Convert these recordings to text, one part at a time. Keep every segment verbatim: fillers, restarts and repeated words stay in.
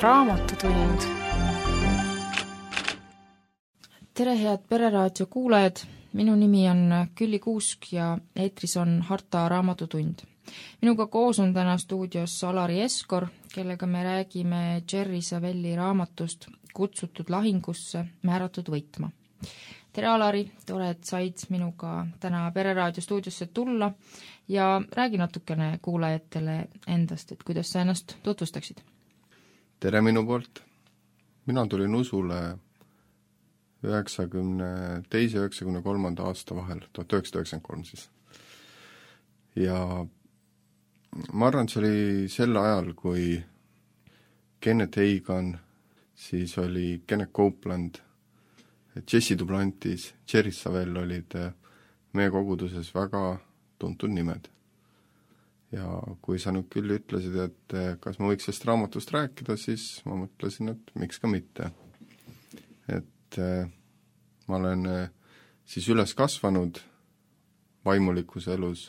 Raamatutund. Tere, head Pereraadio kuulajad! Minu nimi on Külli Kuusk ja eetris on Harta Raamatutund. Minuga koos on täna stuudios Alari Eskor, kellega me räägime Jerry Savelli raamatust Kutsutud lahingusse, määratud võitma. Tere, Alari! Tore, et said minuga täna Pereraadio stuudiosse tulla ja räägi natukene kuulajatele endast, et kuidas sa ennast tutvustaksid. Tere minu poolt. Mina tulin Usule üheksakümne teise ja üheksakümne kolmanda aasta vahel, tuhat üheksasada üheksakümmend kolm siis. Ja ma arvan, see oli sel ajal, kui Kenneth Hagan, siis oli Kenneth Copeland, Jesse Duplantis, Jerry Savelle olid meie koguduses väga tuntud nimed. Ja kui sa nüüd küll ütlesid, et kas ma võiks sellest raamatust rääkida, siis ma mõtlesin, et miks ka mitte. Et ma olen siis üles kasvanud vaimulikkuse elus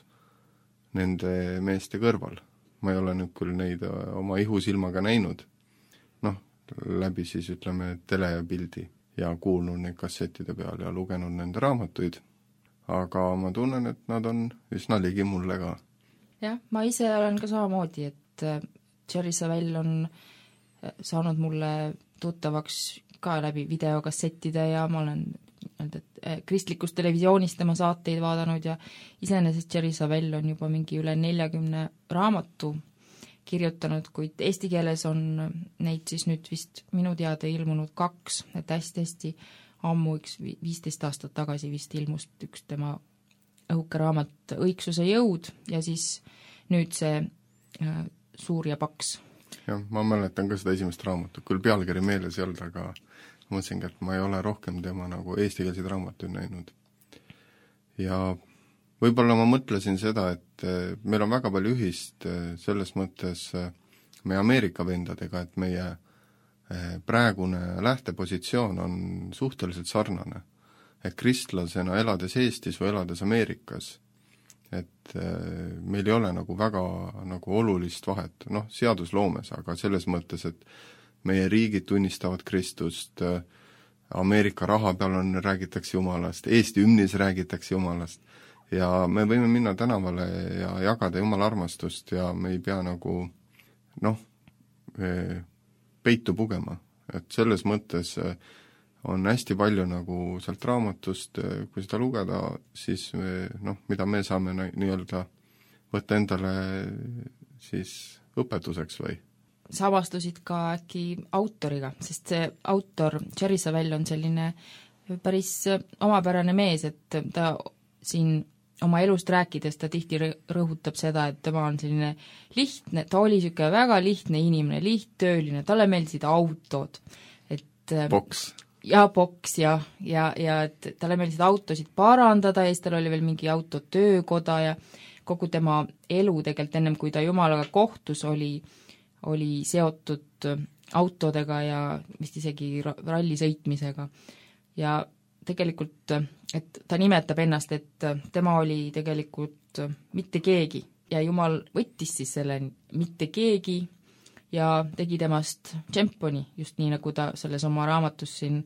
nende meeste kõrval. Ma ei ole nüüd küll neid oma ihusilmaga näinud, noh, läbi siis ütleme tele ja pildi ja kuulnud neid kassettide peal ja lugenud nende raamatuid, aga ma tunnen, et nad on üsna ligi mulle ka. Jah, ma ise olen ka samamoodi, et Jerry Savelle on saanud mulle tuttavaks ka läbi videokassettide ja ma olen kristlikust televisioonist tema saateid vaadanud ja iseenesest Jerry Savelle on juba mingi üle neljakümne raamatu kirjutanud, kuid eesti keeles on neid siis nüüd vist minu teada ilmunud kaks, et hästi-hästi ammu üks viisteist aastat tagasi vist ilmus üks tema õhuke raamat Õigsuse jõud ja siis nüüd see äh, suur ja paks. Jah, ma mäletan ka seda esimest raamatut, küll pealkiri meeles ei olnud, aga mõtlesingi, et ma ei ole rohkem tema nagu eestikeelseid raamatuid näinud. Ja võib-olla ma mõtlesin seda, et meil on väga palju ühist selles mõttes meie Ameerika vendadega, et meie praegune lähtepositsioon on suhteliselt sarnane. Et kristlasena elades Eestis või elades Ameerikas, et meil ei ole nagu väga nagu olulist vahet, noh, seadusloomes, aga selles mõttes, et meie riigid tunnistavad Kristust, Ameerika raha peal on, räägitakse Jumalast, Eesti hümnis räägitakse Jumalast ja me võime minna tänavale ja jagada Jumala armastust ja me ei pea nagu, noh, peitu pugema, et selles mõttes on hästi palju nagu sealt raamatust, kui seda lugeda, siis me, noh, mida me saame nii-öelda võtta endale siis õpetuseks või? Savastusid ka äkki autoriga, sest see autor Jerry Savelle on selline päris omapärane mees, et ta siin oma elust rääkides ta tihti rõhutab seda, et tema on selline lihtne, ta oli niisugune väga lihtne inimene, lihttööline, talle meeldisid autod. Et Boks. Ja boks ja, ja, ja et talle meeldisid autosid parandada ja siis tal oli veel mingi autotöökoda ja kogu tema elu tegelikult ennem, kui ta Jumalaga kohtus, oli, oli seotud autodega ja vist isegi ralli sõitmisega. Ja tegelikult, et ta nimetab ennast, et tema oli tegelikult mitte keegi ja Jumal võttis siis selle mitte keegi ja tegi temast tšemponi, just nii, nagu ta selles oma raamatus siin,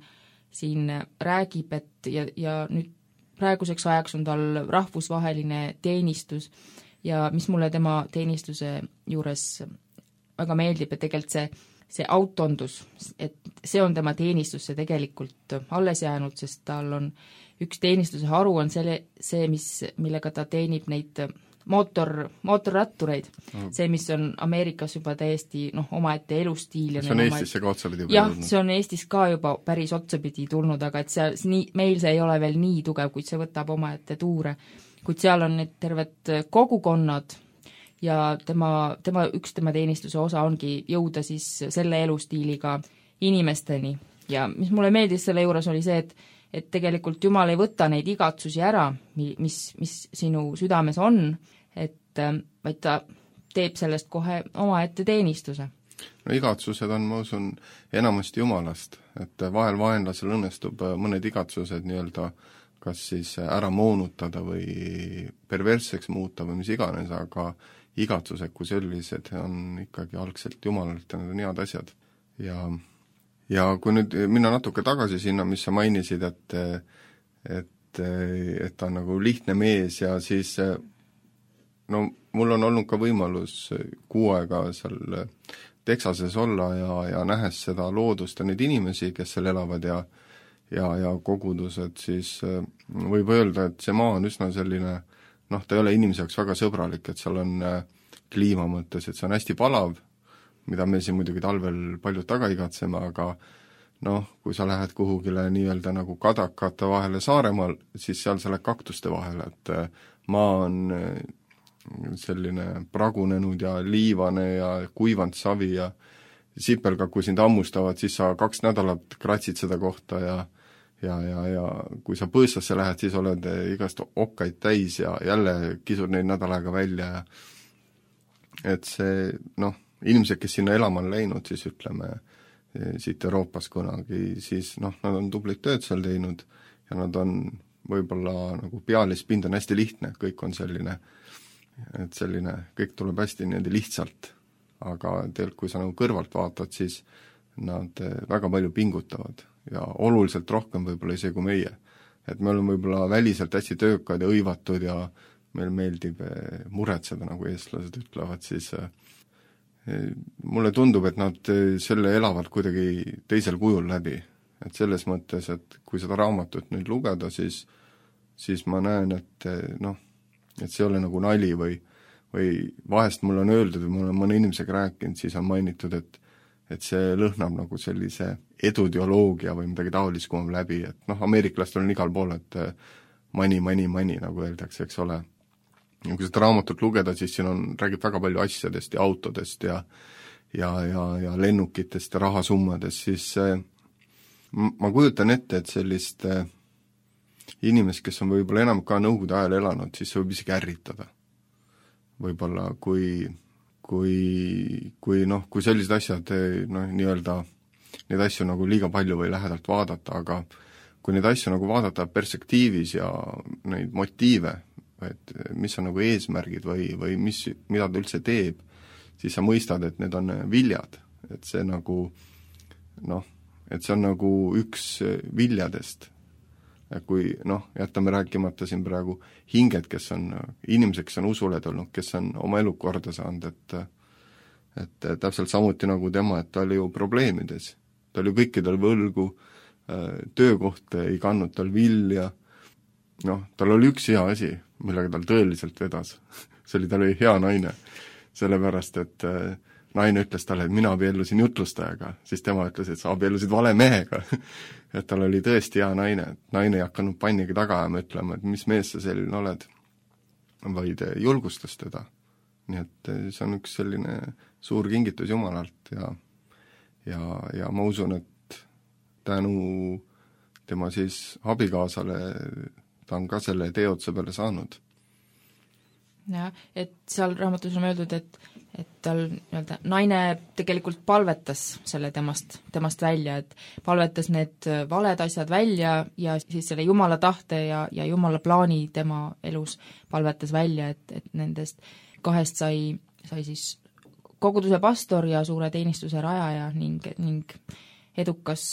siin räägib, et ja, ja nüüd praeguseks ajaks on tal rahvusvaheline teenistus ja mis mulle tema teenistuse juures väga meeldib, et tegelikult see, see autondus, et see on tema teenistus, see tegelikult alles jäänud, sest tal on üks teenistuse haru on selle, see, mis, millega ta teenib neid mootor, mootorrattureid, see, mis on Ameerikas juba täiesti noh, omaette elustiil. See on Eestisse ka otsapidi jah, tulnud. See on Eestis ka juba päris otsapidi tulnud, aga et see, nii, meil see ei ole veel nii tugev, kuid see võtab omaette tuure. Kuid seal on need terved kogukonnad ja tema, tema, üks tema teenistuse osa ongi jõuda siis selle elustiiliga inimesteni. Ja mis mulle meeldis selle juures oli see, et et tegelikult Jumal ei võta neid igatsusi ära, mis, mis sinu südames on, et vaid ta teeb sellest kohe omaette teenistuse. No igatsused on, ma usun, enamasti Jumalast, et vahel vaenlasel õnnestub mõned igatsused nii-öelda kas siis ära moonutada või perversseks muuta või mis iganes, aga igatsused kui sellised on ikkagi algselt Jumalalt ja need on head asjad. ja ja kui nüüd minna natuke tagasi sinna, mis sa mainisid, et et, et ta on nagu lihtne mees ja siis no mul on olnud ka võimalus kuu aega seal Texases olla ja, ja nähes seda loodust ja neid inimesi, kes seal elavad ja ja, ja kogudused, siis võib öelda, et see maa on üsna selline, noh, ta ei ole inimese jaoks väga sõbralik, et seal on kliima mõttes, et see on hästi palav, mida me siin muidugi talvel paljud taga igatseme, aga noh, kui sa lähed kuhugile nii-öelda nagu kadakate vahele Saaremaal, siis seal sa lähed kaktuste vahele, et maa on selline pragunenud ja liivane ja kuivanud savi ja sipelgad, kui sind hammustavad, siis sa kaks nädalat kratsid seda kohta ja ja, ja, ja kui sa põõsasse lähed, siis oled igast okkaid täis ja jälle kisud neid nädal aega välja ja et see, noh, inimesed, kes sinna elama on läinud, siis ütleme, siit Euroopas kunagi, siis noh, nad on tublit tööd seal teinud ja nad on võib-olla nagu pealispind on hästi lihtne, kõik on selline, et selline, kõik tuleb hästi niimoodi lihtsalt, aga tegelikult, kui sa nagu kõrvalt vaatad, siis nad väga palju pingutavad ja oluliselt rohkem võib-olla isegi kui meie. Et me oleme võib-olla väliselt hästi töökad ja õivatud ja meil meeldib muretseda, nagu eestlased ütlevad, siis mulle tundub, et nad selle elavad kuidagi teisel kujul läbi. Et selles mõttes, et kui seda raamatut nüüd lugeda, siis, siis ma näen, et noh, et see ei ole nagu nali või, või vahest mul on öeldud või ma olen mõne inimesega rääkinud, siis on mainitud, et et see lõhnab nagu sellise edudioloogia või midagi taolist kumab läbi, et noh, ameeriklastel on igal pool, et money, money, money, nagu öeldakse, eks ole. Ja kui seda raamatut lugeda, siis siin on, räägib väga palju asjadest ja autodest ja ja, ja, ja lennukitest ja rahasummadest, siis ma kujutan ette, et sellist inimest, kes on võib-olla enam ka nõukogude ajal elanud, siis see võib isegi ärritada. Võib-olla kui kui, kui noh, kui sellised asjad, noh, nii-öelda neid asju nagu liiga palju või lähedalt vaadata, aga kui neid asju nagu vaadata perspektiivis ja neid motiive, et mis on nagu eesmärgid või, või mis, mida ta üldse teeb, siis sa mõistad, et need on viljad, et see nagu noh, et see on nagu üks viljadest. Kui noh, jätame rääkimata siin praegu hinged, kes on, inimesed, kes on usuled olnud, kes on oma elu korda saanud, et et täpselt samuti nagu tema, et ta oli ju probleemides. Ta oli kõikidel võlgu, töökoht ei kandnud tal vilja, noh, tal oli üks hea asi, millega tal tõeliselt vedas. See oli, tal oli hea naine, sellepärast, et naine ütles talle, et mina abiellusin jutlustajaga, siis tema ütles, et sa abiellusid vale mehega. Et tal oli tõesti hea naine, et naine ei hakanud pannigi taga ajama ütlema, et mis mees sa selline oled, vaid julgustas teda. Nii et see on üks selline suur kingitus Jumalalt ja, ja, ja ma usun, et tänu tema siis abikaasale ta on ka selle teotse peale saanud. Jah, et seal raamatus on öeldud, et et tal nii-öelda naine tegelikult palvetas selle temast, temast välja, et palvetas need valed asjad välja ja siis selle Jumala tahte ja, ja Jumala plaani tema elus palvetas välja, et, et nendest kahest sai, sai siis koguduse pastor ja suure teenistuse rajaja ning, ning edukas,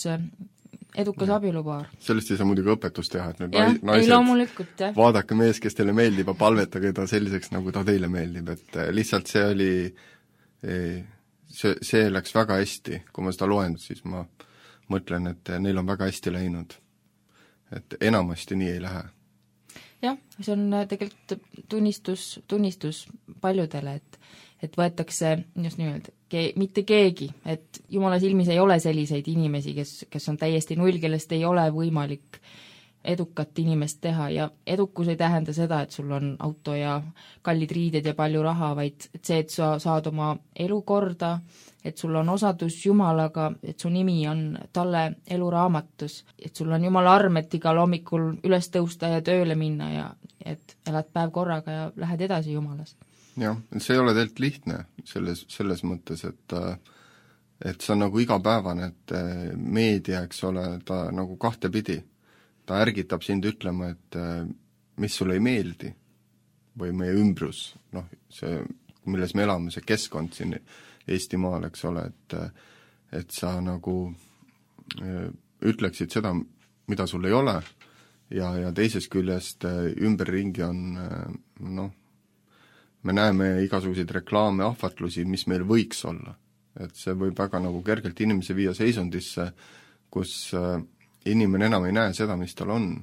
edukas ja. Abielupaar. Sellest ei saa muidugi õpetust teha, et need ja, naised, vaadake mees, kes teile meeldib ja palvetage ta selliseks, nagu ta teile meeldib, et lihtsalt see oli, see, see läks väga hästi, kui ma seda loen, siis ma mõtlen, et neil on väga hästi läinud. Et enamasti nii ei lähe. Jah, see on tegelikult tunnistus, tunnistus paljudele, et et võetakse just nimelt ke-, mitte keegi, et Jumala silmis ei ole selliseid inimesi, kes, kes on täiesti null, kellest ei ole võimalik edukat inimest teha ja edukus ei tähenda seda, et sul on auto ja kallid riided ja palju raha, vaid et see, et sa saad oma elu korda, et sul on osadus Jumalaga, et su nimi on talle eluraamatus, et sul on Jumala arm, et igal hommikul üles tõusta ja tööle minna ja et elad päev korraga ja lähed edasi Jumalas. Jah, see ei ole tegelikult lihtne selles, selles mõttes, et et see on nagu igapäevane, et meedia, eks ole, ta nagu kahtepidi, ta ärgitab sind ütlema, et mis sulle ei meeldi või meie ümbrus, noh, see, milles me elame, see keskkond siin Eestimaal, eks ole, et et sa nagu ütleksid seda, mida sul ei ole, ja, ja teisest küljest ümberringi on noh, me näeme igasuguseid reklaame, ahvatlusi, mis meil võiks olla. Et see võib väga nagu kergelt inimese viia seisundisse, kus inimene enam ei näe seda, mis tal on.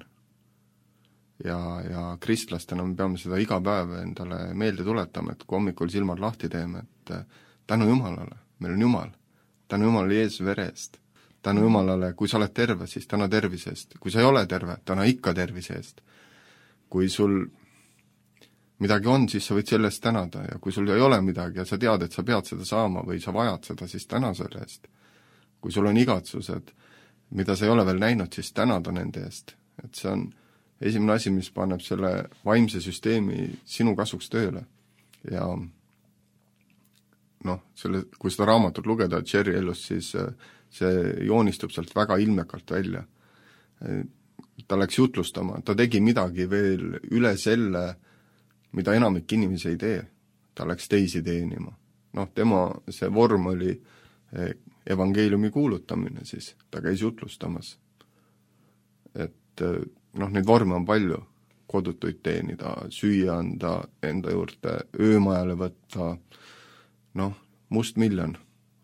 Ja, ja kristlastena me peame seda iga päev endale meelde tuletama, et kui hommikul silmad lahti teeme, et tänu Jumalale, meil on Jumal, tänu Jumalale Jeesuse vere eest, tänu Jumalale, kui sa oled terve, siis täna tervise eest, kui sa ei ole terve, täna ikka tervise eest. Kui sul midagi on, siis sa võid selle eest tänada, ja kui sul ei ole midagi ja sa tead, et sa pead seda saama või sa vajad seda, siis täna selle eest. Kui sul on igatsused, mida sa ei ole veel näinud, siis tänada nende eest. Et see on esimene asi, mis paneb selle vaimse süsteemi sinu kasuks tööle. Ja noh, selle, kui seda raamatut lugeda Jerry elust, siis see joonistub sealt väga ilmekalt välja. Ta läks jutlustama, ta tegi midagi veel üle selle, mida enamik inimesi ei tee. Ta läks teisi teenima. Noh, tema see vorm oli evangeeliumi kuulutamine siis, ta käis jutlustamas. Et noh, neid vorme on palju, kodutuid teenida, süüa anda enda juurde, öömajale võtta, noh, must miljon,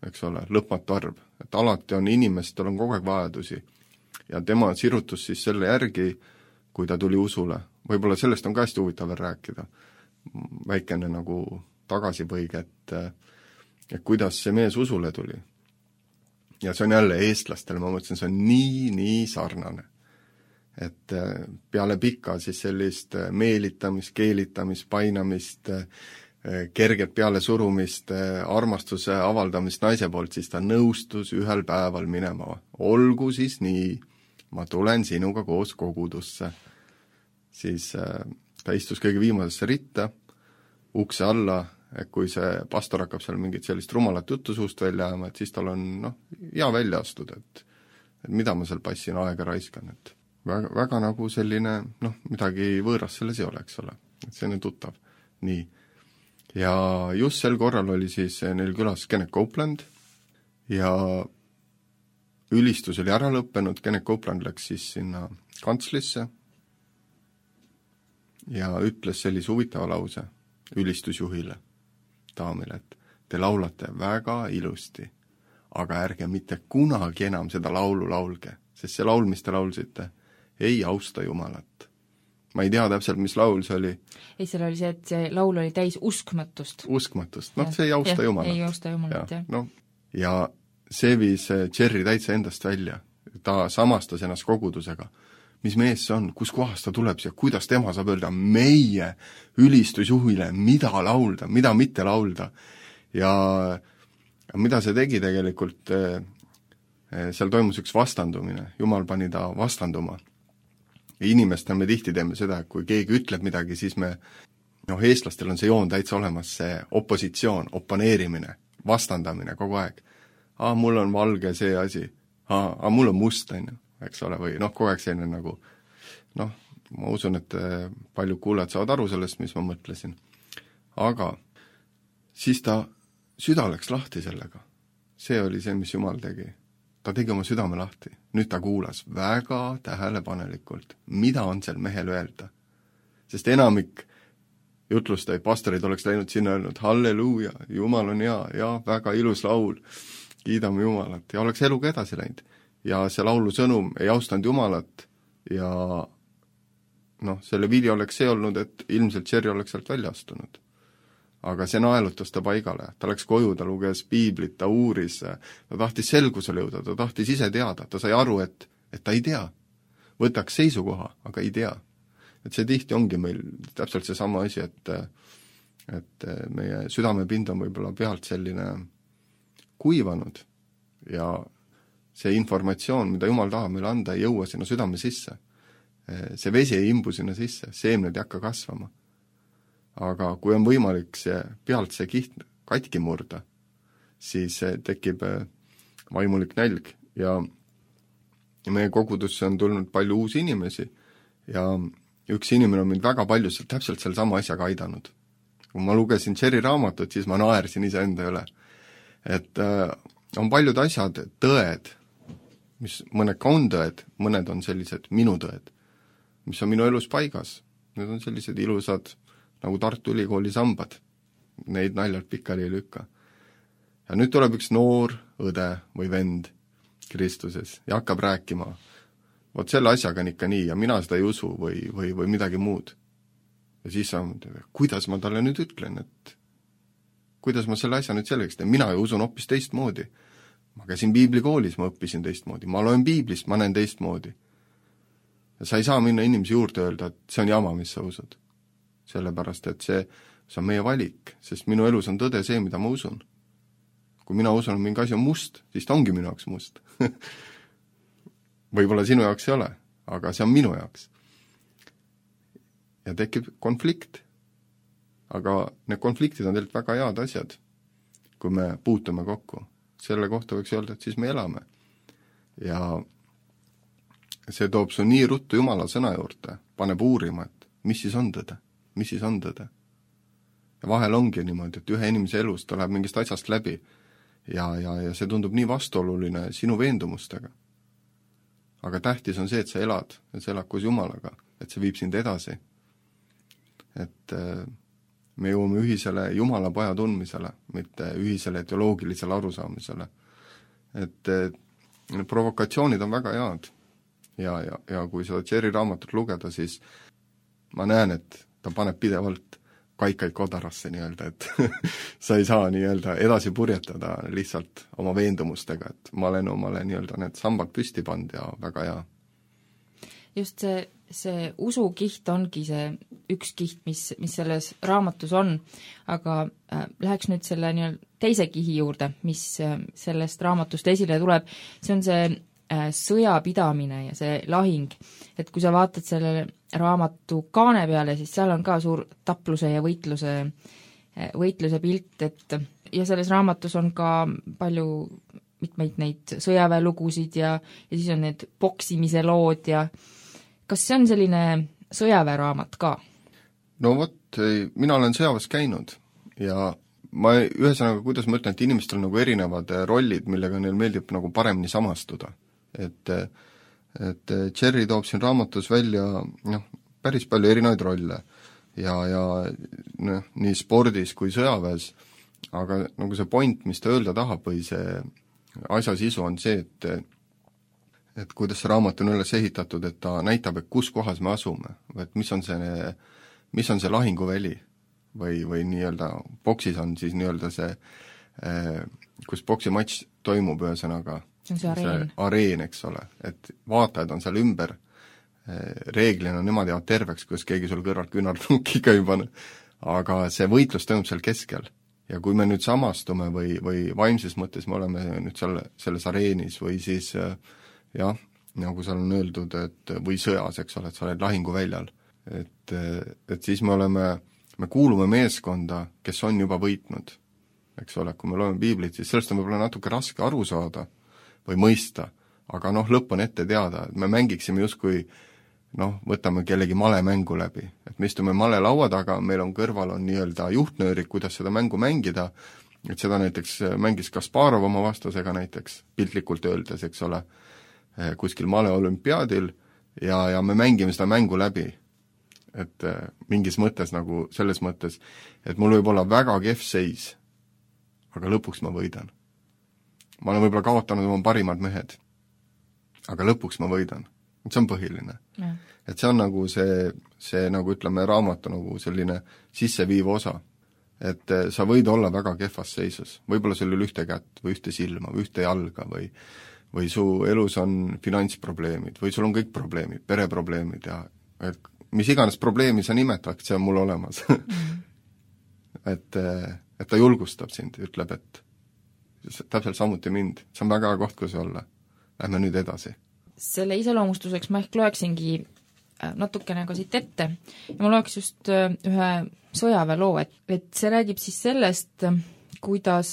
eks ole, lõpmatu arv. Et alati on inimestel on kogu aeg vajadusi. Ja tema sirutus siis selle järgi, kui ta tuli usule. Võib-olla sellest on ka hästi huvitav veel rääkida. Väikene nagu tagasipõige, et, et kuidas see mees usule tuli. Ja see on jälle eestlastele, ma mõtlesin, see on nii, nii sarnane. Et peale pikka siis sellist meelitamist, keelitamist, painamist, kerget peale surumist, armastuse avaldamist naise poolt, siis ta nõustus ühel päeval minema. Olgu siis nii, ma tulen sinuga koos kogudusse. Siis ta istus kõige viimasesse ritta, ukse alla, et kui see pastor hakkab seal mingit sellist rumalat juttu suust välja ajama, et siis tal on noh, hea välja astuda, et, et mida ma seal passin aega raiskan, et väga, väga nagu selline, noh, midagi võõrast selles ei ole, eks ole, et see on tuttav. Nii. Ja just sel korral oli siis neil külas Kenneth Copeland ja ülistus oli ära lõppenud, Kenneth Copeland läks siis sinna kantslisse ja ütles sellise huvitava lause ülistusjuhile, daamile, et te laulate väga ilusti, aga ärge mitte kunagi enam seda laulu laulge, sest see laul, mis te laulsite, ei austa Jumalat. Ma ei tea täpselt, mis laul see oli. Ei, seal oli see, et see laul oli täis uskmatust. Uskmatust, noh, see ei austa ja, Jumalat. Ei austa Jumalat, jah. No, ja see viis Jerry täitsa endast välja. Ta samastas ennast kogudusega. Mis mees see on, kus kohast ta tuleb siia, kuidas tema saab öelda meie ülistusjuhile, mida laulda, mida mitte laulda. Ja mida see tegi tegelikult, seal toimus üks vastandumine, Jumal pani ta vastanduma. Ja inimestel me tihti teeme seda, et kui keegi ütleb midagi, siis me, noh, eestlastel on see joon täitsa olemas, see opositsioon, oponeerimine, vastandamine kogu aeg. Aa, mul on valge see asi, aa, aa mul on must, on ju, eks ole, või noh, kogu aeg selline nagu, noh, ma usun, et paljud kuulajad saavad aru sellest, mis ma mõtlesin. Aga siis ta süda läks lahti sellega. See oli see, mis Jumal tegi. Ta tegi oma südame lahti. Nüüd ta kuulas väga tähelepanelikult, mida on seal mehel öelda. Sest enamik jutlustajaid, pastorid oleks läinud sinna öelnud, halleluuja, Jumal on hea, ja väga ilus laul, kiidame Jumalat, ja oleks eluga edasi läinud. Ja see laulu sõnum ei austanud Jumalat ja noh, selle vili oleks see olnud, et ilmselt Jerry oleks sealt välja astunud. Aga see naelutas ta paigale, ta läks koju, ta luges piiblit, ta uuris, ta tahtis selgusele jõuda, ta tahtis ise teada, ta sai aru, et, et ta ei tea. Võtaks seisukoha, aga ei tea. Et see tihti ongi meil täpselt see sama asi, et, et meie südamepind on võib-olla pealt selline kuivanud ja see informatsioon, mida Jumal tahab meile anda, ei jõua sinna südame sisse. See vesi ei imbu sinna sisse, seemned ei hakka kasvama. Aga kui on võimalik see, pealt see kiht katki murda, siis tekib vaimulik nälg ja meie kogudusse on tulnud palju uusi inimesi ja üks inimene on mind väga palju täpselt selle sama asjaga aidanud. Kui ma lugesin Jerry raamatut, siis ma naersin ise enda üle. Et on paljud asjad tõed, mis mõned ka on tõed, mõned on sellised minu tõed, mis on minu elus paigas. Need on sellised ilusad nagu Tartu Ülikooli sambad. Neid naljalt pikali ei lükka. Ja nüüd tuleb üks noor õde või vend Kristuses ja hakkab rääkima, vot selle asjaga on ikka nii ja mina seda ei usu või, või, või midagi muud. Ja siis sa, kuidas ma talle nüüd ütlen, et kuidas ma selle asja nüüd selgeks teen, mina ju usun hoopis teistmoodi. Ma käisin piiblikoolis, ma õppisin teistmoodi, ma loen piiblist, ma näen teistmoodi. Ja sa ei saa minna inimese juurde öelda, et see on jama, mis sa usud. Sellepärast, et see, see on meie valik, sest minu elus on tõde see, mida ma usun. Kui mina usun, et mingi asi on must, siis ta ongi minu jaoks must. Võib-olla sinu jaoks ei ole, aga see on minu jaoks. Ja tekib konflikt. Aga need konfliktid on tegelikult väga head asjad, kui me puutume kokku. Selle kohta võiks öelda, et siis me elame. Ja see toob su nii ruttu Jumala sõna juurde, paneb uurima, et mis siis on tõde, mis siis on tõde. Ja vahel ongi niimoodi, et ühe inimese elus ta läheb mingist asjast läbi ja, ja, ja see tundub nii vastuoluline sinu veendumustega. Aga tähtis on see, et sa elad, et sa elad koos Jumalaga, et see viib sind edasi. Et me jõuame ühisele Jumala poja tundmisele, mitte ühisele teoloogilisele arusaamisele. Et need provokatsioonid on väga head. Ja, ja, ja kui seda Jerry raamatut lugeda, siis ma näen, et ta paneb pidevalt kaikaid kodarasse nii-öelda, et sa ei saa nii-öelda edasi purjetada lihtsalt oma veendumustega, et ma olen omale nii-öelda need sambad püsti pand ja väga hea. Just see, see usukiht ongi see üks kiht, mis, mis selles raamatus on, aga äh, läheks nüüd selle nii-öelda teise kihi juurde, mis äh, sellest raamatust esile tuleb, see on see äh, sõjapidamine ja see lahing, et kui sa vaatad selle raamatu kaane peale, siis seal on ka suur tapluse ja võitluse, võitluse pilt, et ja selles raamatus on ka palju mitmeid neid sõjaväelugusid ja, ja siis on need poksimise lood ja kas see on selline sõjaväeraamat ka? No vot, mina olen sõjaväes käinud ja ma ühesõnaga, kuidas ma ütlen, et inimestel on nagu erinevad rollid, millega neil meeldib nagu paremini samastuda, et et Jerry toob siin raamatus välja noh, päris palju erinevaid rolle ja, ja noh, nii spordis kui sõjaväes, aga nagu see point, mis ta öelda tahab või see asja sisu on see, et et kuidas see raamat on üles ehitatud, et ta näitab, et kus kohas me asume, et mis on see, mis on see lahinguväli või, või nii-öelda boksis on siis nii-öelda see, kus boksimatš toimub ühesõnaga see on see areen. See areen, eks ole, et vaatajad on seal ümber, reeglina nemad jäävad terveks, kus keegi sul kõrvalt küünarnukiga ei pane, aga see võitlus toimub seal keskel. Ja kui me nüüd samastume või, või vaimses mõttes me oleme nüüd seal, selles areenis või siis jah, nagu seal on öeldud, et või sõjas, eks ole, et sa oled lahinguväljal, et, et siis me oleme, me kuulume meeskonda, kes on juba võitnud, eks ole, kui me loeme piiblit, siis sellest on võib-olla natuke raske aru saada või mõista, aga noh, lõpp on ette teada, et me mängiksime justkui noh, võtame kellegi malemängu läbi, et me istume male laua taga, meil on kõrval on nii-öelda juhtnöörid, kuidas seda mängu mängida, et seda näiteks mängis Kasparov oma vastasega näiteks, piltlikult öeldes, eks ole, kuskil male olümpiaadil ja, ja me mängime seda mängu läbi, et mingis mõttes nagu selles mõttes, et mul võib olla väga kehv seis, aga lõpuks ma võidan. Ma olen võib-olla kaotanud oma parimad mehed, aga lõpuks ma võidan. See on põhiline. Ja. Et see on nagu see, see nagu ütleme raamatu nagu selline sisseviiv osa. Et sa võid olla väga kehvas seisus. Võib-olla sul ei ole ühte kätt või ühte silma või ühte jalga või, või su elus on finantsprobleemid või sul on kõik probleemid, pereprobleemid ja et mis iganes probleemi sa nimetad, see on mul olemas. Mm. et, et ta julgustab sind, ütleb, et täpselt samuti mind, see on väga hea koht, kus olla. Lähme nüüd edasi. Selle iseloomustuseks ma ehk loeksingi natukene ka siit ette ja ma loeks just ühe sõjaväeloo, et, et see räägib siis sellest, kuidas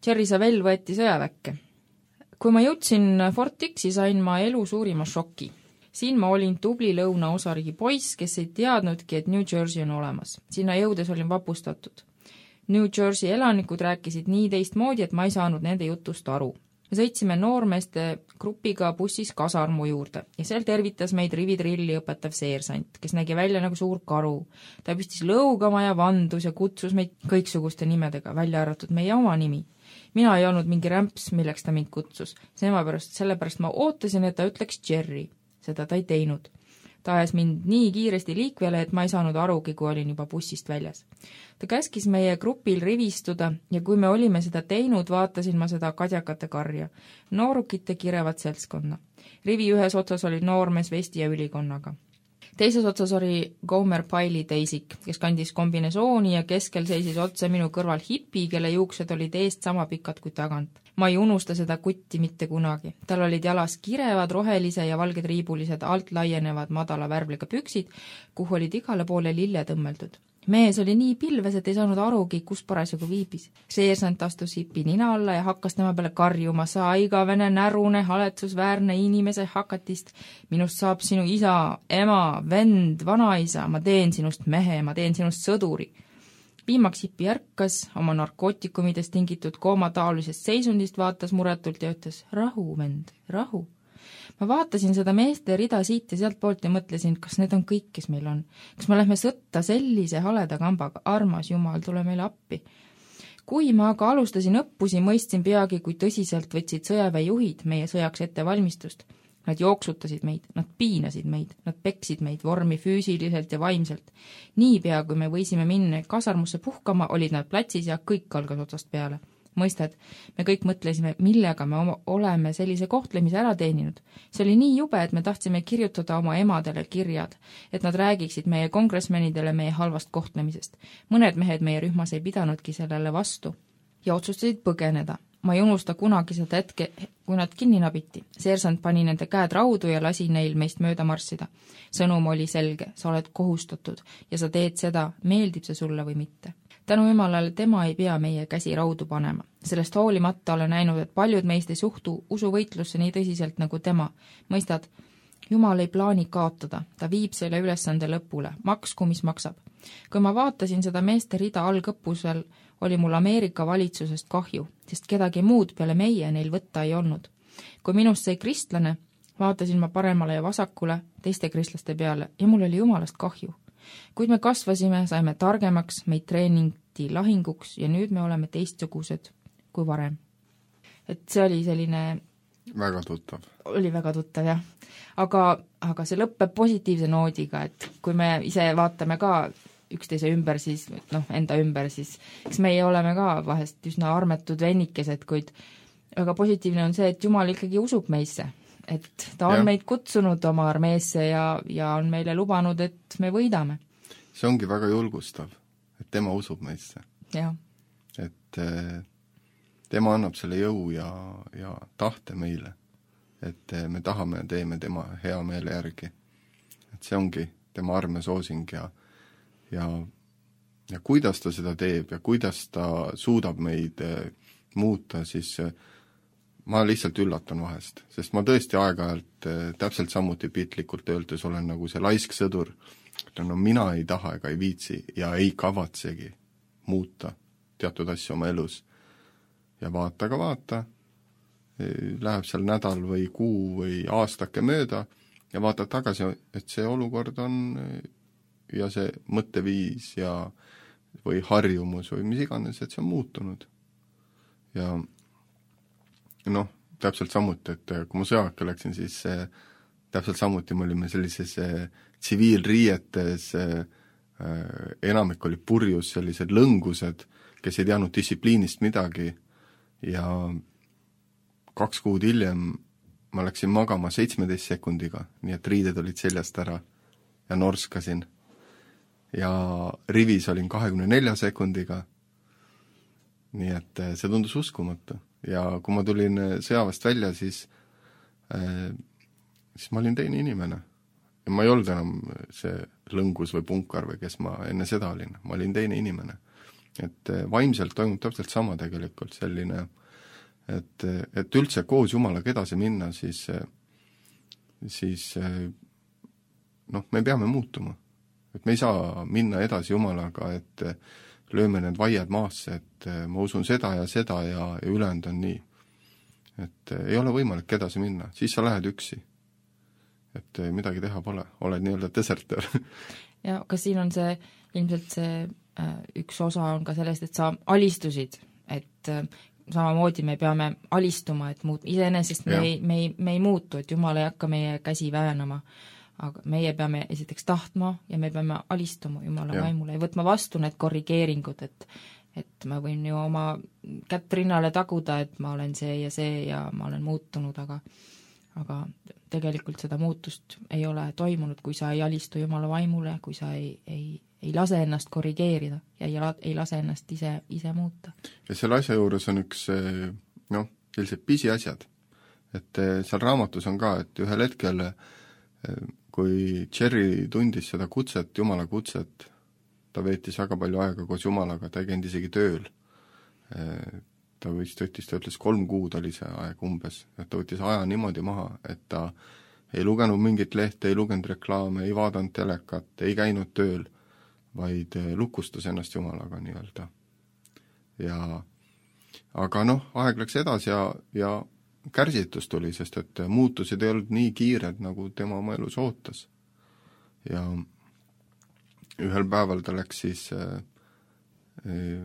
Jerry Savelle võeti sõjaväkke. Kui ma jõudsin Fort Dixi, sain ma elu suurima šoki. Siin ma olin tubli lõunaosariigi poiss, kes ei teadnudki, et New Jersey on olemas. Sinna jõudes olin vapustatud. New Jersey elanikud rääkisid nii teistmoodi, et ma ei saanud nende jutust aru. Me sõitsime noormeeste grupiga bussis kasarmu juurde ja seal tervitas meid rivitrilli õpetav seersant, kes nägi välja nagu suur karu. Ta püstis lõugama ja vandus ja kutsus meid kõiksuguste nimedega, välja arvatud meie oma nimi. Mina ei olnud mingi rämps, milleks ta mind kutsus. Sellepärast, sellepärast ma ootasin, et ta ütleks Jerry. Seda ta ei teinud. Ta ajas mind nii kiiresti liikvele, et ma ei saanud arugi, kui olin juba bussist väljas. Ta käskis meie grupil rivistuda ja kui me olime seda teinud, vaatasin ma seda kadjakate karja. Noorukite kirevat seltskonna. Rivi ühes otsas oli noormees vesti ja ülikonnaga. Teises otsas oli Gomer Piley teisik, kes kandis kombinesooni ja keskel seisis otse minu kõrval hipi, kelle juuksed olid eest sama pikad kui tagant. Ma ei unusta seda kutti mitte kunagi. Tal olid jalas kirevad, rohelise ja valged riibulised alt laienevad madala värvliga püksid, kuhu olid igale poole lille tõmmeldud. Mees oli nii pilves, et ei saanud arugi, kus parasjagu viibis. Seersant astus hipi nina alla ja hakkas tema peale karjuma, sa igavene närune, haletsusväärne inimese hakatist. Minust saab sinu isa, ema, vend, vanaisa, ma teen sinust mehe, ma teen sinust sõduri. Viimaks hipi ärkas, oma narkootikumidest tingitud koomataolisest seisundist vaatas muretult ja ütles, rahu, vend, rahu. Ma vaatasin seda meeste rida siit ja sealt poolt ja mõtlesin, kas need on kõik, kes meil on. Kas me lähme sõtta sellise haleda kambaga, armas jumal, tule meile appi. Kui ma aga alustasin õppusi, mõistsin peagi, kui tõsiselt võtsid sõjaväejuhid meie sõjaks ette valmistust. Nad jooksutasid meid, nad piinasid meid, nad peksid meid vormi füüsiliselt ja vaimselt. Niipea, kui me võisime minna kasarmusse puhkama, olid nad platsis ja kõik algas otsast peale. Mõistad, me kõik mõtlesime, millega me oma, oleme sellise kohtlemise ära teeninud. See oli nii jube, et me tahtsime kirjutada oma emadele kirjad, et nad räägiksid meie kongressmenidele meie halvast kohtlemisest. Mõned mehed meie rühmas ei pidanudki sellele vastu ja otsustasid põgeneda. Ma ei unusta kunagi seda hetke, kui nad kinni nabiti. Seersant pani nende käed raudu ja lasi neil meist mööda marssida. Sõnum oli selge, sa oled kohustatud ja sa teed seda, meeldib see sulle või mitte. Tänu jumalale tema ei pea meie käsi raudu panema. Sellest hoolimata olen näinud, et paljud meist ei suhtu usuvõitlusse nii tõsiselt nagu tema. Mõistad, Jumal ei plaani kaotada, ta viib selle ülesande lõpule, maksku mis maksab. Kui ma vaatasin seda meeste rida algõppusel, oli mul Ameerika valitsusest kahju, sest kedagi muud peale meie neil võtta ei olnud. Kui minust sai kristlane, vaatasin ma paremale ja vasakule teiste kristlaste peale ja mul oli jumalast kahju. Kuid me kasvasime, saime targemaks, meid treeningti lahinguks ja nüüd me oleme teistsugused kui varem. Et see oli selline... Väga tuttav. Oli väga tuttav, jah. Aga, aga see lõppeb positiivse noodiga, et kui me ise vaatame ka üksteise ümber, siis noh, enda ümber, siis eks meie oleme ka vahest üsna armetud vennikesed, kuid väga positiivne on see, et Jumal ikkagi usub meisse. Et ta on ja. meid kutsunud oma armeesse ja, ja on meile lubanud, et me võidame. See ongi väga julgustav, et tema usub meisse. Ja. Et tema annab selle jõu ja, ja tahte meile, et me tahame ja teeme tema hea meele järgi. Et see ongi tema arme soosing ja, ja, ja kuidas ta seda teeb ja kuidas ta suudab meid muuta, siis ma lihtsalt üllatan vahest, sest ma tõesti aeg-ajalt täpselt samuti pitlikult öeldes olen nagu see laisk sõdur. No mina ei taha ega ei viitsi ja ei kavatsegi muuta teatud asju oma elus. Ja vaata ka vaata, läheb seal nädal või kuu või aastake mööda ja vaatad tagasi, et see olukord on ja see mõtteviis ja, või harjumus või mis iganes, et see on muutunud. Ja noh, täpselt samuti, et kui ma sõjaka läksin, siis äh, täpselt samuti me olime sellises äh, tsiviilriietes, äh, enamik oli purjus, sellised lõngused, kes ei teadnud distsipliinist midagi ja kaks kuud hiljem ma läksin magama seitsmeteist sekundiga, nii et riided olid seljast ära ja norskasin. Ja rivis olin kahekümne nelja sekundiga, nii et see tundus uskumatu. Ja kui ma tulin sõjavast välja, siis, äh, siis ma olin teine inimene. Ja ma ei olnud enam see lõngus või punkar või kes ma enne seda olin. Ma olin teine inimene. Et vaimselt toimub täpselt sama tegelikult selline, et, et üldse koos Jumalaga edasi minna, siis, siis noh, me peame muutuma. Et me ei saa minna edasi Jumalaga, et lööme need vaiad maasse, et ma usun seda ja seda ja, ja ülejäänud on nii. Et ei ole võimalik edasi minna, siis sa lähed üksi. Et midagi teha pole, oled nii-öelda deserter. ja aga siin on see, ilmselt see äh, üks osa on ka sellest, et sa alistusid, et äh, samamoodi me peame alistuma, et muut-, iseenesest me ei, me, ei, me ei muutu, et Jumal ei hakka meie käsi väänama, aga meie peame esiteks tahtma ja me peame alistuma Jumala ja. vaimule ja võtma vastu need korrigeeringud, et et ma võin ju oma kätt rinnale taguda, et ma olen see ja see ja ma olen muutunud, aga aga tegelikult seda muutust ei ole toimunud, kui sa ei alistu Jumala vaimule, kui sa ei, ei, ei lase ennast korrigeerida ja ei, ei lase ennast ise, ise muuta. Ja selle asja juures on üks, noh, sellised pisiasjad, et seal raamatus on ka, et ühel hetkel, kui Jerry tundis seda kutset, Jumala kutset, ta veetis väga palju aega koos Jumalaga, ta ei käinud isegi tööl. Ta vist võttis, ta ütles kolm kuud oli see aeg umbes, et ta võttis aja niimoodi maha, et ta ei lugenud mingit lehte, ei lugenud reklaame, ei vaadanud telekat, ei käinud tööl, vaid lukustas ennast Jumalaga nii-öelda. Ja aga noh, aeg läks edasi ja, ja kärsitus tuli, sest et muutused ei olnud nii kiired, nagu tema oma elus ootas. Ja ühel päeval ta läks siis äh,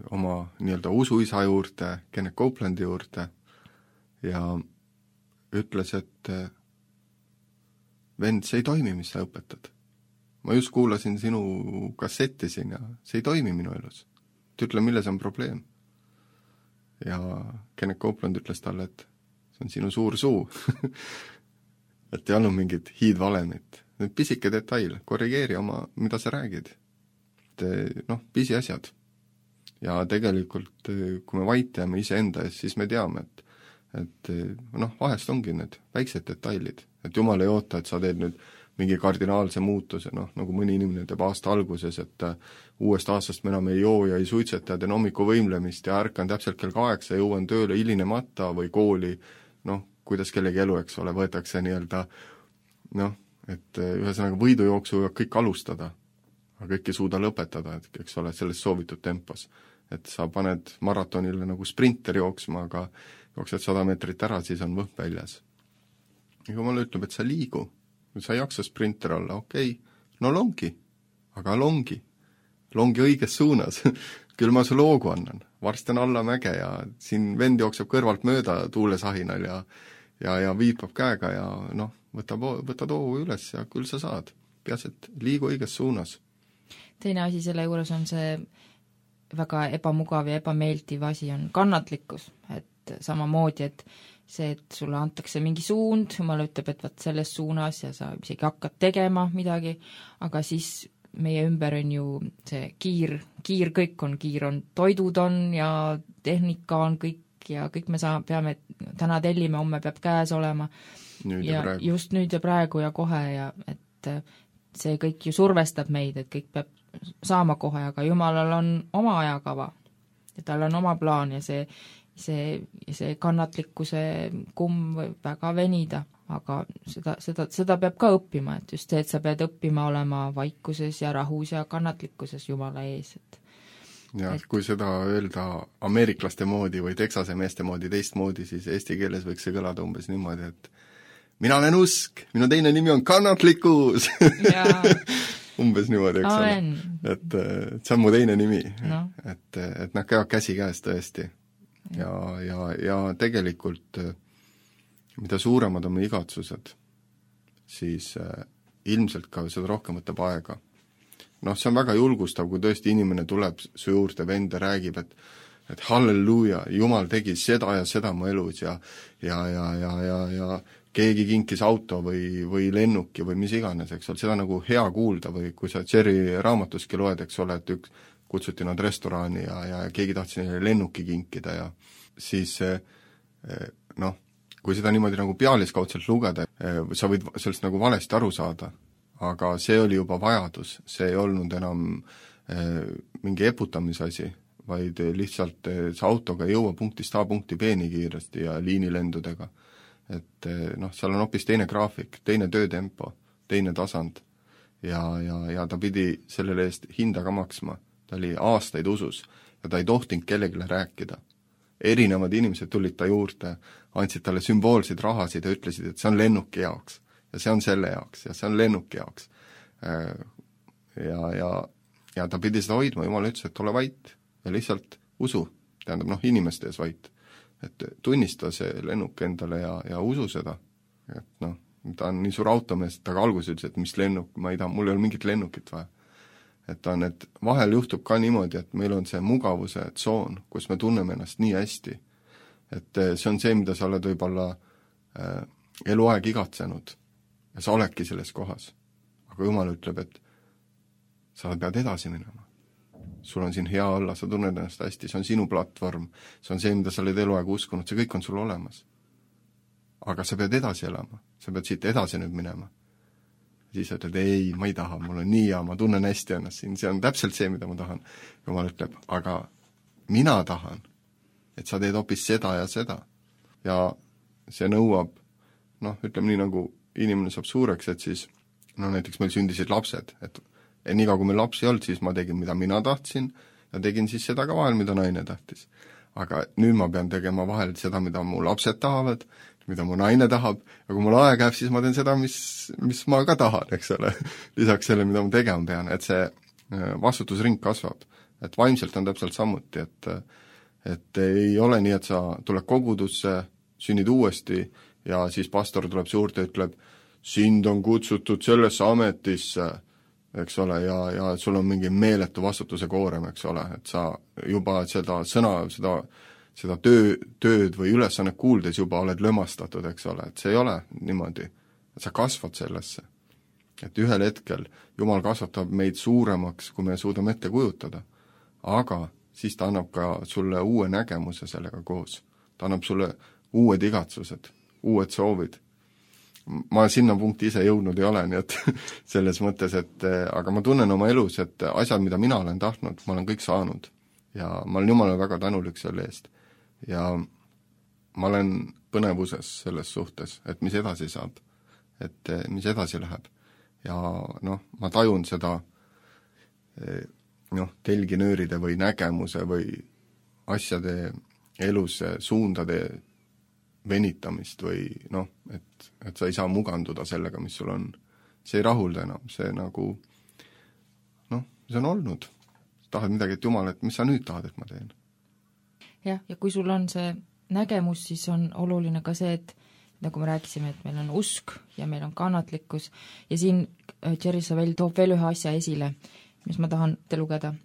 oma nii-öelda usuisa juurde, Kenneth Copeland'i juurde ja ütles, et äh, vend, see ei toimi, mis sa õpetad. Ma just kuulasin sinu kassetti siin ja see ei toimi minu elus. Et ütle, milles on probleem. Ja Kenneth Copeland ütles talle, et see on sinu suur suu. et ei olnud mingit hiidvalemit. Nüüd pisike detail, korrigeeri oma, mida sa räägid. Et noh, pisi asjad. Ja tegelikult, kui me vaitame ise enda ees, siis me teame, et, et noh, vahest ongi need väiksed detailid. Et Jumal ei oota, et sa teed nüüd mingi kardinaalse muutuse, noh, nagu mõni inimene teeb aasta alguses, et uuest aastast me enam ei joo ja ei suitseta ja teen hommiku võimlemist ja ärkan täpselt kell kaheksa ja jõuan tööle hilinemata või kooli, noh, kuidas kellegi elu, eks ole, võetakse nii-öelda, noh, et ühesõnaga võidujooksu võivad kõik alustada, aga kõik ei suuda lõpetada, et eks ole, selles soovitud tempos. Et sa paned maratonile nagu sprinter jooksma, aga jooksed sada meetrit ära, siis on võhk väljas. Ja Jumal ütleb, et sa liigu, sa ei jaksa sprinter olla, okei, okay. no longi, aga longi, longi õiges suunas, küll ma sulle hoogu annan, varsti on alla mäge ja siin vend jookseb kõrvalt mööda tuulesahinal ja, ja, ja viipab käega ja noh, võtab, võtad hoogu üles ja küll sa saad, peas, et liigu õiges suunas. Teine asi selle juures on see väga ebamugav ja ebameeldiv asi on kannatlikkus, et samamoodi, et see, et sulle antakse mingi suund, Jumal ütleb, et võt selles suunas ja sa isegi hakkad tegema midagi, aga siis meie ümber on ju see kiir, kiir kõik on, kiir on, toidud on ja tehnika on kõik ja kõik me saa-, peame, täna tellime, homme peab käes olema. Nüüd ja, ja just nüüd ja praegu ja kohe ja et see kõik ju survestab meid, et kõik peab saama kohe, aga Jumalal on oma ajakava ja tal on oma plaan ja see see, see kannatlikkuse kumm võib väga venida, aga seda, seda, seda peab ka õppima, et just see, et sa pead õppima olema vaikuses ja rahus ja kannatlikkuses Jumala ees. Et, ja et... kui seda öelda ameeriklaste moodi või Texase meeste moodi teistmoodi, siis eesti keeles võiks see kõlada umbes niimoodi, et mina olen usk, minu teine nimi on kannatlikkus ja... umbes niimoodi, eks ole. Et, et see on mu teine nimi no.. Et, et nad käivad käsi käes tõesti. Ja, ja, ja tegelikult mida suuremad on meie igatsused, siis äh, ilmselt ka seda rohkem võtab aega. Noh, see on väga julgustav, kui tõesti inimene tuleb su juurde, vend ja räägib, et et halleluuja, Jumal tegi seda ja seda mu elus ja ja, ja, ja, ja, ja keegi kinkis auto või, või lennuki või mis iganes, eks ole, seda nagu hea kuulda või kui sa Jerry raamatuski loed, eks ole, et üks kutsuti nad restorani ja, ja keegi tahtis neile lennuki kinkida ja siis noh, kui seda niimoodi nagu pealiskaudselt lugeda, sa võid sellest nagu valesti aru saada, aga see oli juba vajadus, see ei olnud enam mingi eputamise asi, vaid lihtsalt see autoga ei jõua punktist A punkti B nii kiiresti ja liinilendudega. Et noh, seal on hoopis teine graafik, teine töötempo, teine tasand ja, ja, ja ta pidi sellele eest hinda ka maksma. ta oli aastaid usus ja ta ei tohtinud kellegile rääkida. Erinevad inimesed tulid ta juurde, andsid talle sümboolseid rahasid ja ütlesid, et see on lennuki jaoks ja see on selle jaoks ja see on lennuki jaoks. Ja, ja, ja ta pidi seda hoidma, Jumal ütles, et ole vait ja lihtsalt usu, tähendab noh, inimeste ees vait. Et tunnista see lennuk endale ja, ja usu seda, et noh, ta on nii suur automees, ta alguses ütles, et mis lennuk, ma ei taha, mul ei ole mingit lennukit vaja. Et on, et vahel juhtub ka niimoodi, et meil on see mugavuse tsoon, kus me tunneme ennast nii hästi, et see on see, mida sa oled võib-olla äh, eluaeg igatsenud ja sa oledki selles kohas. Aga Jumal ütleb, et sa pead edasi minema. Sul on siin hea olla, sa tunned ennast hästi, see on sinu platvorm, see on see, mida sa oled eluaeg uskunud, see kõik on sul olemas. Aga sa pead edasi elama, sa pead siit edasi nüüd minema. Siis sa ütled, ei, ma ei taha, mul on nii hea, ma tunnen hästi ennast siin, see on täpselt see, mida ma tahan. Jumal ütleb, aga mina tahan, et sa teed hoopis seda ja seda. Ja see nõuab, noh, ütleme nii, nagu inimene saab suureks, et siis, no näiteks meil sündisid lapsed, et nii kui meil lapsi ei olnud, siis ma tegin, mida mina tahtsin ja tegin siis seda ka vahel, mida naine tahtis. Aga nüüd ma pean tegema vahel seda, mida mu lapsed tahavad, mida mu naine tahab, ja kui mul aeg jääb, siis ma teen seda, mis, mis ma ka tahan, eks ole, lisaks selle, mida ma tegema pean, et see vastutusring kasvab. Et vaimselt on täpselt samuti, et, et ei ole nii, et sa tuled kogudusse, sünnid uuesti ja siis pastor tuleb suurde ja ütleb, sind on kutsutud sellesse ametisse, eks ole, ja, ja sul on mingi meeletu vastutuse koorem, eks ole, et sa juba seda sõna, seda, seda töö, tööd või ülesannet kuuldes juba oled lömastatud, eks ole, et see ei ole niimoodi, et sa kasvad sellesse. Et ühel hetkel Jumal kasvatab meid suuremaks, kui me suudame ette kujutada, aga siis ta annab ka sulle uue nägemuse sellega koos. Ta annab sulle uued igatsused, uued soovid. Ma sinna punkti ise jõudnud ei ole, nii et selles mõttes, et aga ma tunnen oma elus, et asjad, mida mina olen tahtnud, ma olen kõik saanud ja ma olen Jumalale väga tänulik selle eest ja ma olen põnevuses selles suhtes, et mis edasi saab, et mis edasi läheb ja noh, ma tajun seda noh, telginööride või nägemuse või asjade elus suundade venitamist või noh, et, et sa ei saa muganduda sellega, mis sul on. See ei rahulda enam, see nagu noh, see on olnud. Tahad midagi, et Jumal, et mis sa nüüd tahad, et ma teen? Jah, ja kui sul on see nägemus, siis on oluline ka see, et nagu me rääkisime, et meil on usk ja meil on kannatlikkus ja siin Jerry Savelle toob veel ühe asja esile, mis ma tahan te lugeda.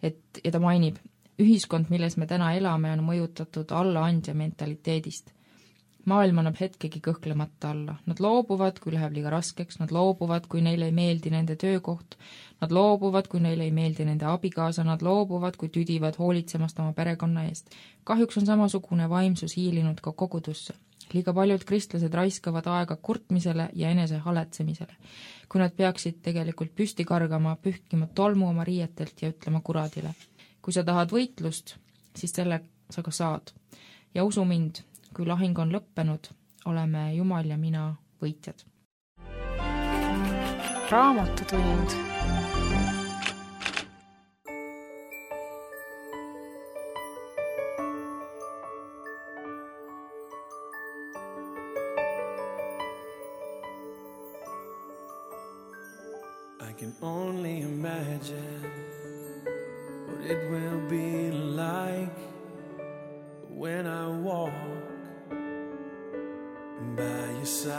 Et, ja ta mainib, ühiskond, milles me täna elame, on mõjutatud allaandja mentaliteedist. Maailm annab hetkegi kõhklemata alla. Nad loobuvad, kui läheb liiga raskeks, nad loobuvad, kui neile ei meeldi nende töökoht, nad loobuvad, kui neile ei meeldi nende abikaasa, nad loobuvad, kui tüdivad hoolitsemast oma perekonna eest. Kahjuks on samasugune vaimsus hiilinud ka kogudusse. Liiga paljud kristlased raiskavad aega kurtmisele ja enese haletsemisele, kui nad peaksid tegelikult püsti kargama, pühkima tolmu oma riietelt ja ütlema kuradile. Kui sa tahad võitlust, siis selle sa ka saad. Ja usu mind, kui lahing on lõppenud, oleme Jumal ja mina võitjad. Raamatutund. I can only imagine what it will be like when I walk by your side.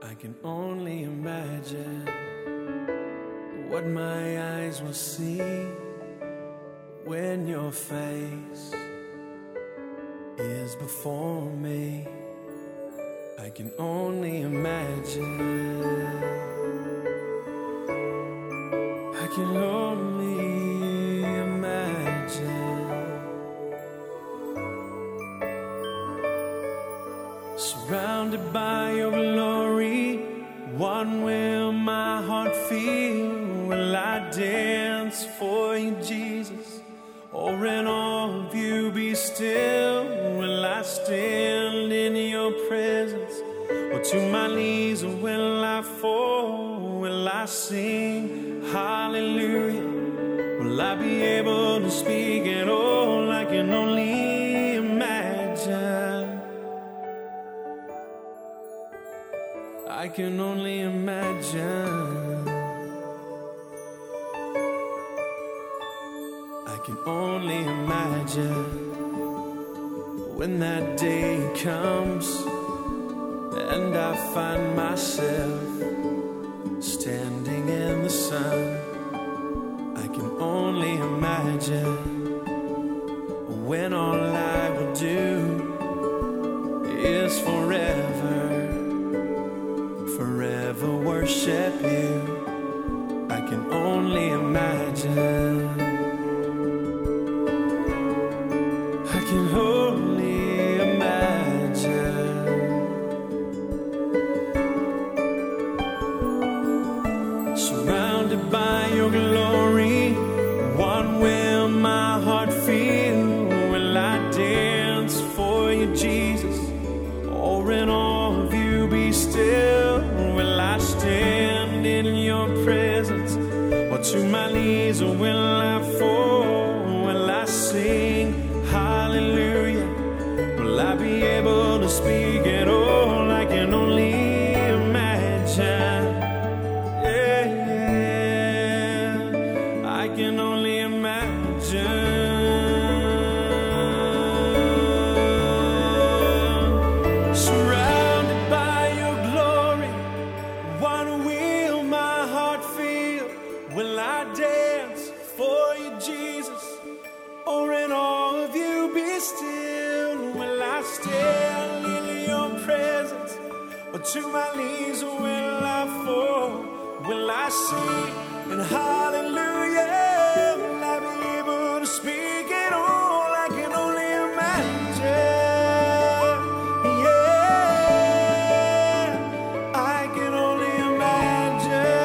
I can only imagine what my eyes will see when your face is before me. I can only imagine. I can only imagine. Surrounded by your glory, what will my heart feel? Will I dance for you, Jesus? Or in all of you be still? Will I stand in your presence? Or to my knees, or will I fall? Will I sing hallelujah? Will I be able to speak at all? I can only imagine. I can only imagine. I can only imagine when that day comes and I find myself standing in the sun. I can only imagine when all I will do is forever, forever worship you. I can only imagine. I can only imagine. Surrounded by your glory, what will my heart feel? Will I dance for you, Jesus? Or in all of you be still? Will I stand in your presence? Or to my knees will I fall? Will I sing hallelujah? Will I be able to speak at all? I can only imagine. Yeah, yeah. I can only imagine. Surrounded by your glory, what will my heart feel? Will I dance for you, Jesus? Or in all of you be still? Will I stand in your presence? Or to my knees will I fall? Will I sing in hallelujah? Will I be able to speak at all? I can only imagine. Yeah, I can only imagine.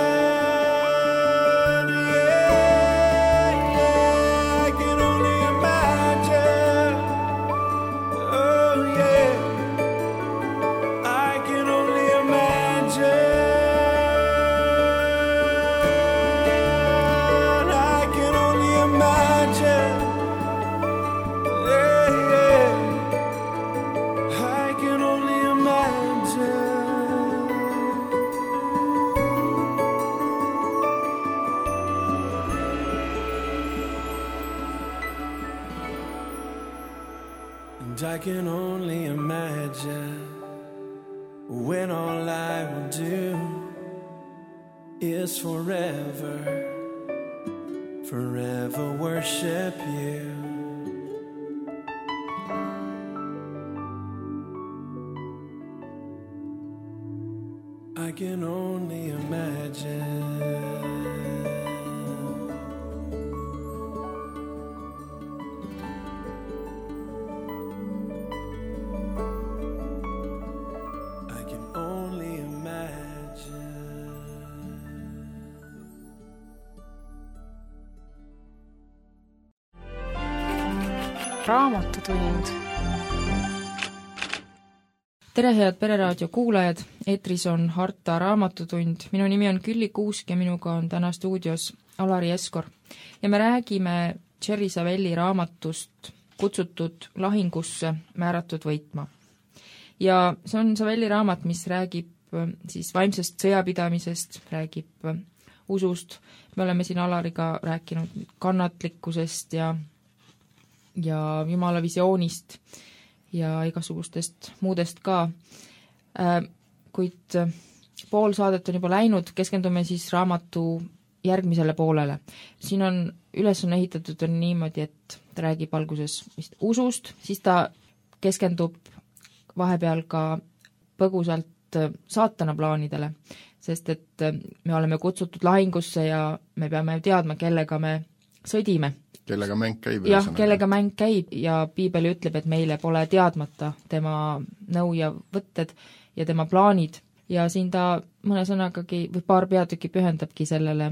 And I can only imagine when all I will do is forever, forever worship you. I can only imagine. Raamatutund. Tere, head Pereraadio kuulajad, eetris on Harta Raamatutund. Minu nimi on Külli Kuusk ja minuga on täna stuudios Alari Eskor. Ja me räägime Jerry Savelli raamatust Kutsutud lahingusse määratud võitma. Ja see on Savelli raamat, mis räägib siis vaimsest sõjapidamisest, räägib usust. Me oleme siin Alariga rääkinud kannatlikkusest ja ja Jumala visioonist ja igasugustest muudest ka. Kuid pool saadet on juba läinud, keskendume siis raamatu järgmisele poolele. Siin on üles on ehitatud on niimoodi, et ta räägib alguses vist usust, siis ta keskendub vahepeal ka põgusalt saatana plaanidele, sest et me oleme kutsutud lahingusse ja me peame teadma, kellega me sõdime. Kellega mäng käib. Jah, kellega mäng käib ja Piibel ütleb, et meile pole teadmata tema nõu ja võtted ja tema plaanid. Ja siin ta mõne sõnagagi või paar peatükki pühendabki sellele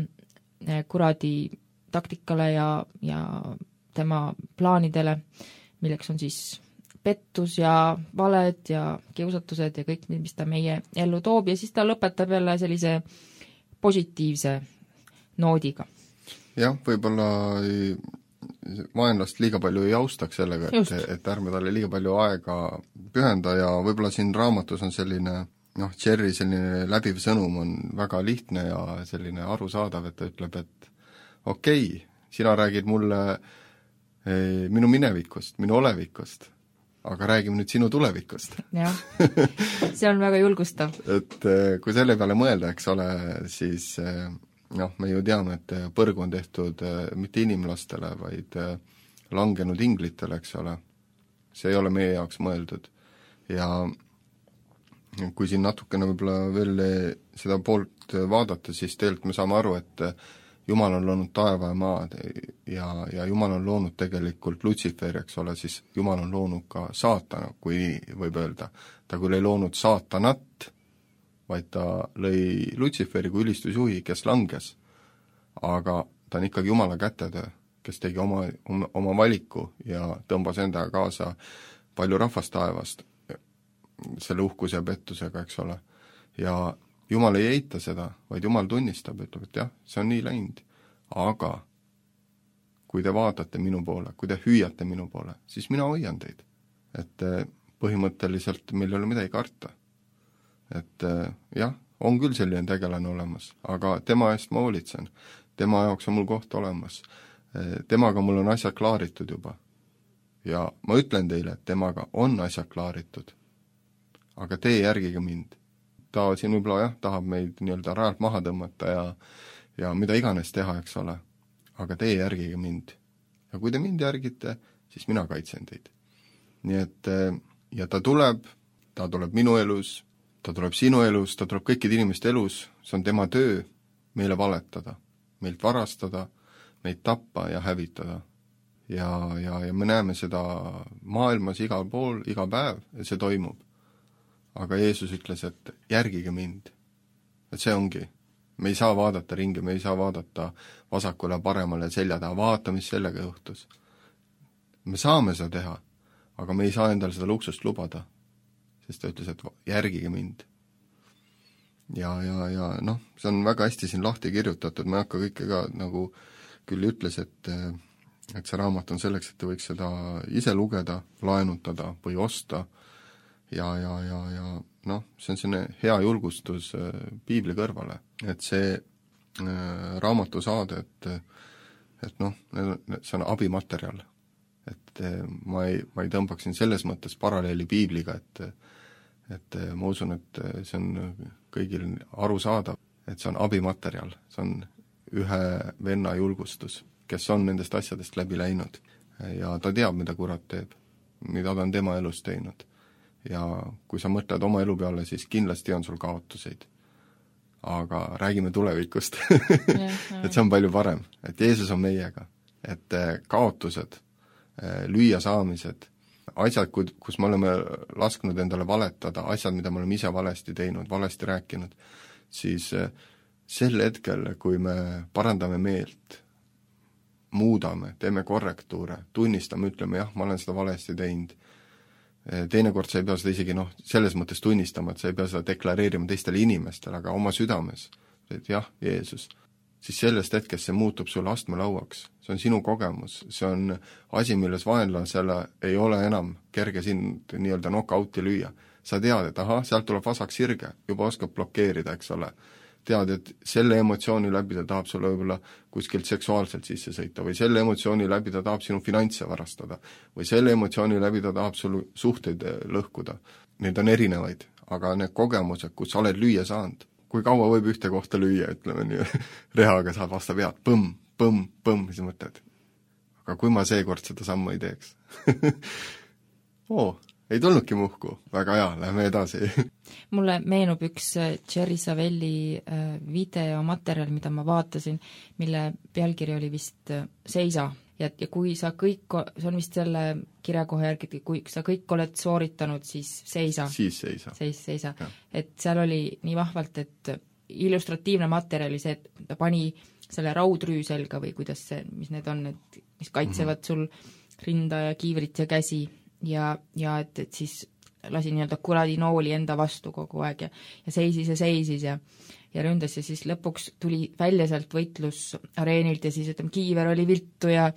kuradi taktikale ja, ja tema plaanidele, milleks on siis pettus ja valed ja kiusatused ja kõik, mis ta meie ellu toob ja siis ta lõpetab jälle sellise positiivse noodiga. jah, võib-olla ei, vaenlast liiga palju ei austaks sellega, et, et ärme talle liiga palju aega pühenda ja võib-olla siin raamatus on selline noh, Jerry selline läbiv sõnum on väga lihtne ja selline arusaadav, et ta ütleb, et okei okay,, sina räägid mulle eh, minu minevikust, minu olevikust, aga räägime nüüd sinu tulevikust. jah, see on väga julgustav. et eh, kui selle peale mõelda, eks ole, siis eh, noh, me ju teame, et põrgu on tehtud eh, mitte inimlastele, vaid eh, langenud inglitele, eks ole. see ei ole meie jaoks mõeldud. ja kui siin natukene võib-olla veel seda poolt vaadata, siis tegelikult me saame aru, et Jumal on loonud taeva ja maad ja, ja Jumal on loonud tegelikult Lutsiferi, eks ole, siis Jumal on loonud ka saatana, kui võib öelda. ta küll ei loonud saatanat, vaid ta lõi Lutsiferi kui ülistusjuhi, kes langes. aga ta on ikkagi Jumala kätetöö, kes tegi oma, oma, oma valiku ja tõmbas endaga kaasa palju rahvast taevast selle uhkuse ja pettusega, eks ole. ja Jumal ei eita seda, vaid Jumal tunnistab, ütleb, et jah, see on nii läinud. aga kui te vaatate minu poole, kui te hüüate minu poole, siis mina hoian teid. Et põhimõtteliselt meil ei ole midagi karta. Et jah, on küll selline tegelane olemas, aga tema eest ma hoolitsen. Tema jaoks on mul koht olemas. Temaga mul on asjad klaaritud juba. Ja ma ütlen teile, et temaga on asjad klaaritud. Aga tee järgige mind. Ta siin võib-olla jah, tahab meid nii-öelda rajalt maha tõmmata ja, ja mida iganes teha, eks ole. Aga tee järgige mind. Ja kui te mind järgite, siis mina kaitsen teid. Nii et, ja ta tuleb, ta tuleb minu elus, ta tuleb sinu elus, ta tuleb kõikide inimeste elus, see on tema töö meile valetada, meilt varastada, meid tappa ja hävitada. Ja, ja, ja me näeme seda maailmas igal pool, iga päev ja see toimub. Aga Jeesus ütles, et järgige mind. Et see ongi. Me ei saa vaadata ringi, me ei saa vaadata vasakule, paremale selja taha, vaata, mis sellega juhtus. Me saame seda teha, aga me ei saa endale seda luksust lubada, sest ta ütles, et järgige mind. Ja, ja, ja noh, see on väga hästi siin lahti kirjutatud, ma ei hakka kõike ka nagu küll ütles, et, et see raamat on selleks, et te võiks seda ise lugeda, laenutada või osta. Ja, ja, ja, ja noh, see on selline hea julgustus äh, piibli kõrvale, et see äh, raamatu saade, et, et noh, see on abimaterjal. Et äh, ma ei, ma ei tõmbaksin selles mõttes paralleeli piibliga, et, et äh, ma usun, et see on kõigil arusaadav, et see on abimaterjal, see on ühe venna julgustus, kes on nendest asjadest läbi läinud ja ta teab, mida kurat teeb, mida ta on tema elus teinud. Ja kui sa mõtled oma elu peale, siis kindlasti on sul kaotuseid. Aga räägime tulevikust. et see on palju parem, et Jeesus on meiega. Et kaotused, lüüa saamised, asjad, kus me oleme lasknud endale valetada, asjad, mida me oleme ise valesti teinud, valesti rääkinud, siis sel hetkel, kui me parandame meelt, muudame, teeme korrektuure, tunnistame, ütleme, jah, ma olen seda valesti teinud, teinekord sa ei pea seda isegi noh, selles mõttes tunnistama, et sa ei pea seda deklareerima teistele inimestele, aga oma südames, et jah, Jeesus, siis sellest hetkest see muutub sulle astmelauaks. See on sinu kogemus, see on asi, milles vaenlasele ei ole enam kerge sind nii-öelda knock-out'i lüüa. Sa tead, et ahah, sealt tuleb vasak sirge, juba oskab blokeerida, eks ole. Tead, et selle emotsiooni läbi ta tahab sulle võib-olla kuskilt seksuaalselt sisse sõita või selle emotsiooni läbi ta tahab sinu finantse varastada või selle emotsiooni läbi ta tahab sul suhteid lõhkuda. Need on erinevaid, aga need kogemused, kus sa oled lüüa saanud, kui kaua võib ühte kohta lüüa, ütleme nii, rehaga saad vastu pead, põmm, põmm, põmm, siis mõtled. Aga kui ma seekord seda sammu ei teeks? Oo, ei tulnudki muhku, väga hea, lähme edasi. Mulle meenub üks Jerry Savelli videomaterjal, mida ma vaatasin, mille pealkiri oli vist Seisa. Ja, ja kui sa kõik, see on vist selle kirjakoha järgi, kui sa kõik oled sooritanud, siis seisa. Siis seisa. Seis, seisa. Ja. Et seal oli nii vahvalt, et illustratiivne materjali see, et ta pani selle raudrüü selga või kuidas see, mis need on, et mis kaitsevad mm-hmm. sul rinda ja kiivrit ja käsi. Ja, ja et, et siis lasi nii-öelda kuradi nooli enda vastu kogu aeg ja, ja seisis ja seisis ja ja ründas ja siis lõpuks tuli välja sealt võitlusareenilt ja siis ütleme, kiiver oli viltu ja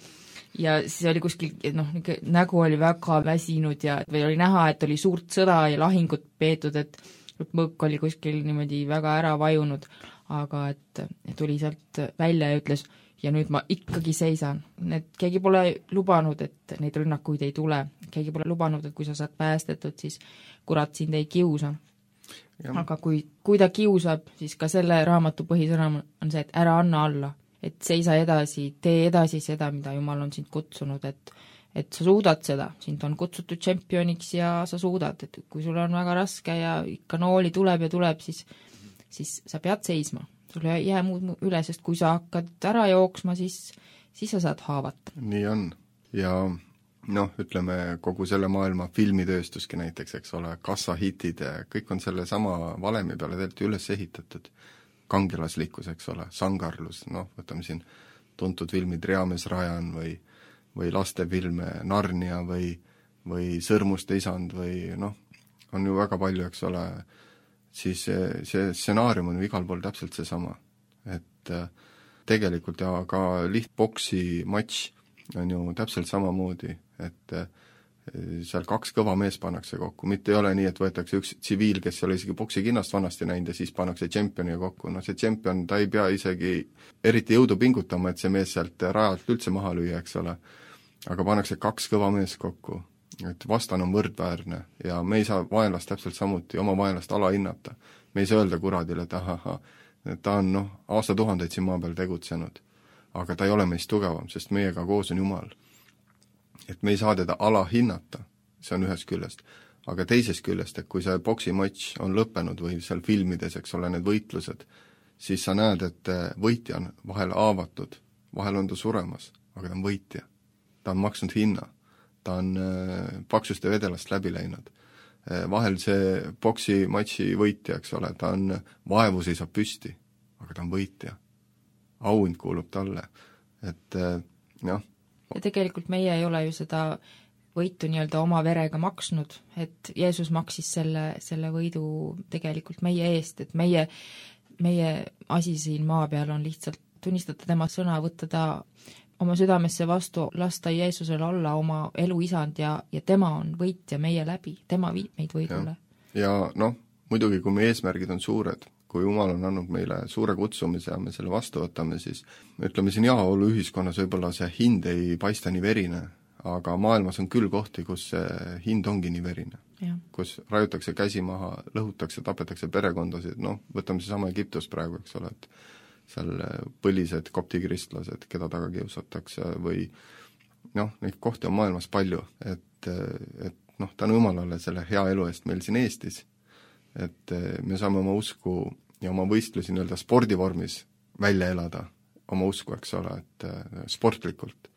ja siis oli kuskil, noh, nägu oli väga väsinud ja või oli näha, et oli suurt sõda ja lahingut peetud, et mõõk oli kuskil niimoodi väga ära vajunud, aga et tuli sealt välja ja ütles, ja nüüd ma ikkagi seisan. Need, keegi pole lubanud, et neid rünnakuid ei tule. Keegi pole lubanud, et kui sa saad päästetud, siis kurat sind ei kiusa. Ja. Aga kui, kui ta kiusab, siis ka selle raamatu põhisõnum on see, et ära anna alla. Et seisa edasi, tee edasi seda, mida Jumal on sind kutsunud, et, et sa suudad seda. Sind on kutsutud tšempioniks ja sa suudad. Et kui sul on väga raske ja ikka nooli tuleb ja tuleb, siis, siis sa pead seisma. Sul ei jää muud üle, sest kui sa hakkad ära jooksma, siis, siis sa saad haavata. Nii on. Ja noh, ütleme kogu selle maailma filmitööstuski näiteks, eks ole, kassahitid, kõik on selle sama valemi peale tegelikult üles ehitatud. Kangelaslikkus, eks ole, sangarlus, noh, võtame siin tuntud filmid Reamees Rajan või, või lastefilme Narnia või, või Sõrmuste isand või noh, on ju väga palju, eks ole, siis see, see stsenaarium on ju igal pool täpselt seesama. Et tegelikult ja ka lihtboksi matš on ju täpselt samamoodi, et seal kaks kõva mees pannakse kokku, mitte ei ole nii, et võetakse üks tsiviil, kes ei ole isegi boksikinnast vanasti näinud ja siis pannakse tšempioniga kokku. No see tšempion, ta ei pea isegi eriti jõudu pingutama, et see mees sealt rajalt üldse maha lüüa, eks ole. Aga pannakse kaks kõva mees kokku, et vastan on võrdväärne ja me ei saa vaenlast täpselt samuti oma vaenlast alahinnata. Me ei saa öelda kuradile, et ahaha, ta on noh, aastatuhandeid siin maa peal tegutsenud, aga ta ei ole meist tugevam, sest meiega koos on Jumal. Et me ei saa teda alahinnata, see on ühest küljest, aga teisest küljest, et kui see boksimatš on lõppenud või seal filmides, eks ole, need võitlused, siis sa näed, et võitja on vahel aavatud, vahel on ta suremas, aga ta on võitja. Ta on maksnud hinna, ta on paksuste vedelast läbi läinud. Vahel see boksimatši võitja, eks ole, ta on vaevu seisab püsti, aga ta on võitja. Auhind kuulub talle, et jah. Ja tegelikult meie ei ole ju seda võitu nii-öelda oma verega maksnud, et Jeesus maksis selle, selle võidu tegelikult meie eest, et meie, meie asi siin maa peal on lihtsalt tunnistada tema sõna, võtta ta oma südamesse vastu, lasta Jeesusele olla oma elu isand ja, ja tema on võitja meie läbi, tema viib meid võidule. Ja, ja noh, muidugi kui meie eesmärgid on suured, kui Jumal on andnud meile suure kutsumise ja me selle vastu võtame, siis ütleme siin jaolu ühiskonnas võib-olla see hind ei paista nii verine, aga maailmas on küll kohti, kus see hind ongi nii verine. Ja. Kus rajutakse käsi maha, lõhutakse, tapetakse perekondasid, noh, võtame see sama Egiptus praegu, eks ole, et seal põlised koptikristlased, keda taga kiusatakse või noh, neid kohti on maailmas palju, et, et noh, tänu Jumalale selle hea elu eest meil siin Eestis, et me saame oma usku ja oma võistlusi nii-öelda spordivormis välja elada, oma usku, eks ole, et sportlikult,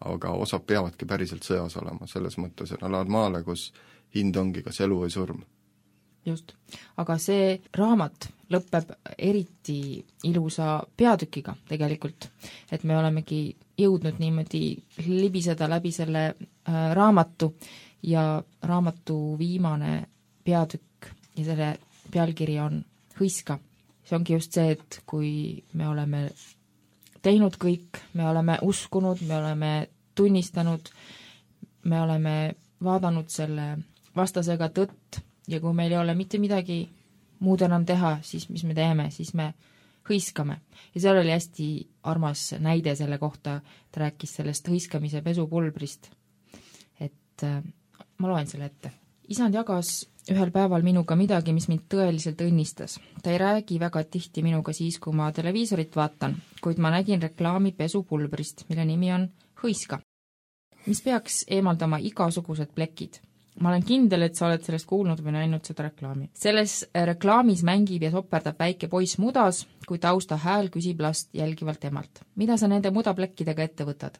aga osad peavadki päriselt sõjas olema, selles mõttes, et nad lähevad maale, kus hind ongi kas elu või surm. Just, aga see raamat lõpeb eriti ilusa peatükiga tegelikult, et me olemegi jõudnud niimoodi libiseda läbi selle äh, raamatu ja raamatu viimane peatükk ja selle pealkiri on Hõiska. See ongi just see, et kui me oleme teinud kõik, me oleme uskunud, me oleme tunnistanud, me oleme vaadanud selle vastasega tõtt ja kui meil ei ole mitte midagi muud enam teha, siis mis me teeme, siis me hõiskame. Ja seal oli hästi armas näide selle kohta, ta rääkis sellest hõiskamise pesupulbrist. Et äh, ma loen selle ette. Isand jagas ühel päeval minuga midagi, mis mind tõeliselt õnnistas. Ta ei räägi väga tihti minuga siis, kui ma televiisorit vaatan, kuid ma nägin reklaami pesupulbrist, mille nimi on Hõiska, mis peaks eemaldama igasugused plekid. Ma olen kindel, et sa oled sellest kuulnud või näinud seda reklaami. Selles reklaamis mängib ja soperdab väike poiss mudas, kui tausta hääl küsib last jälgivalt emalt. Mida sa nende mudaplekkidega ette võtad?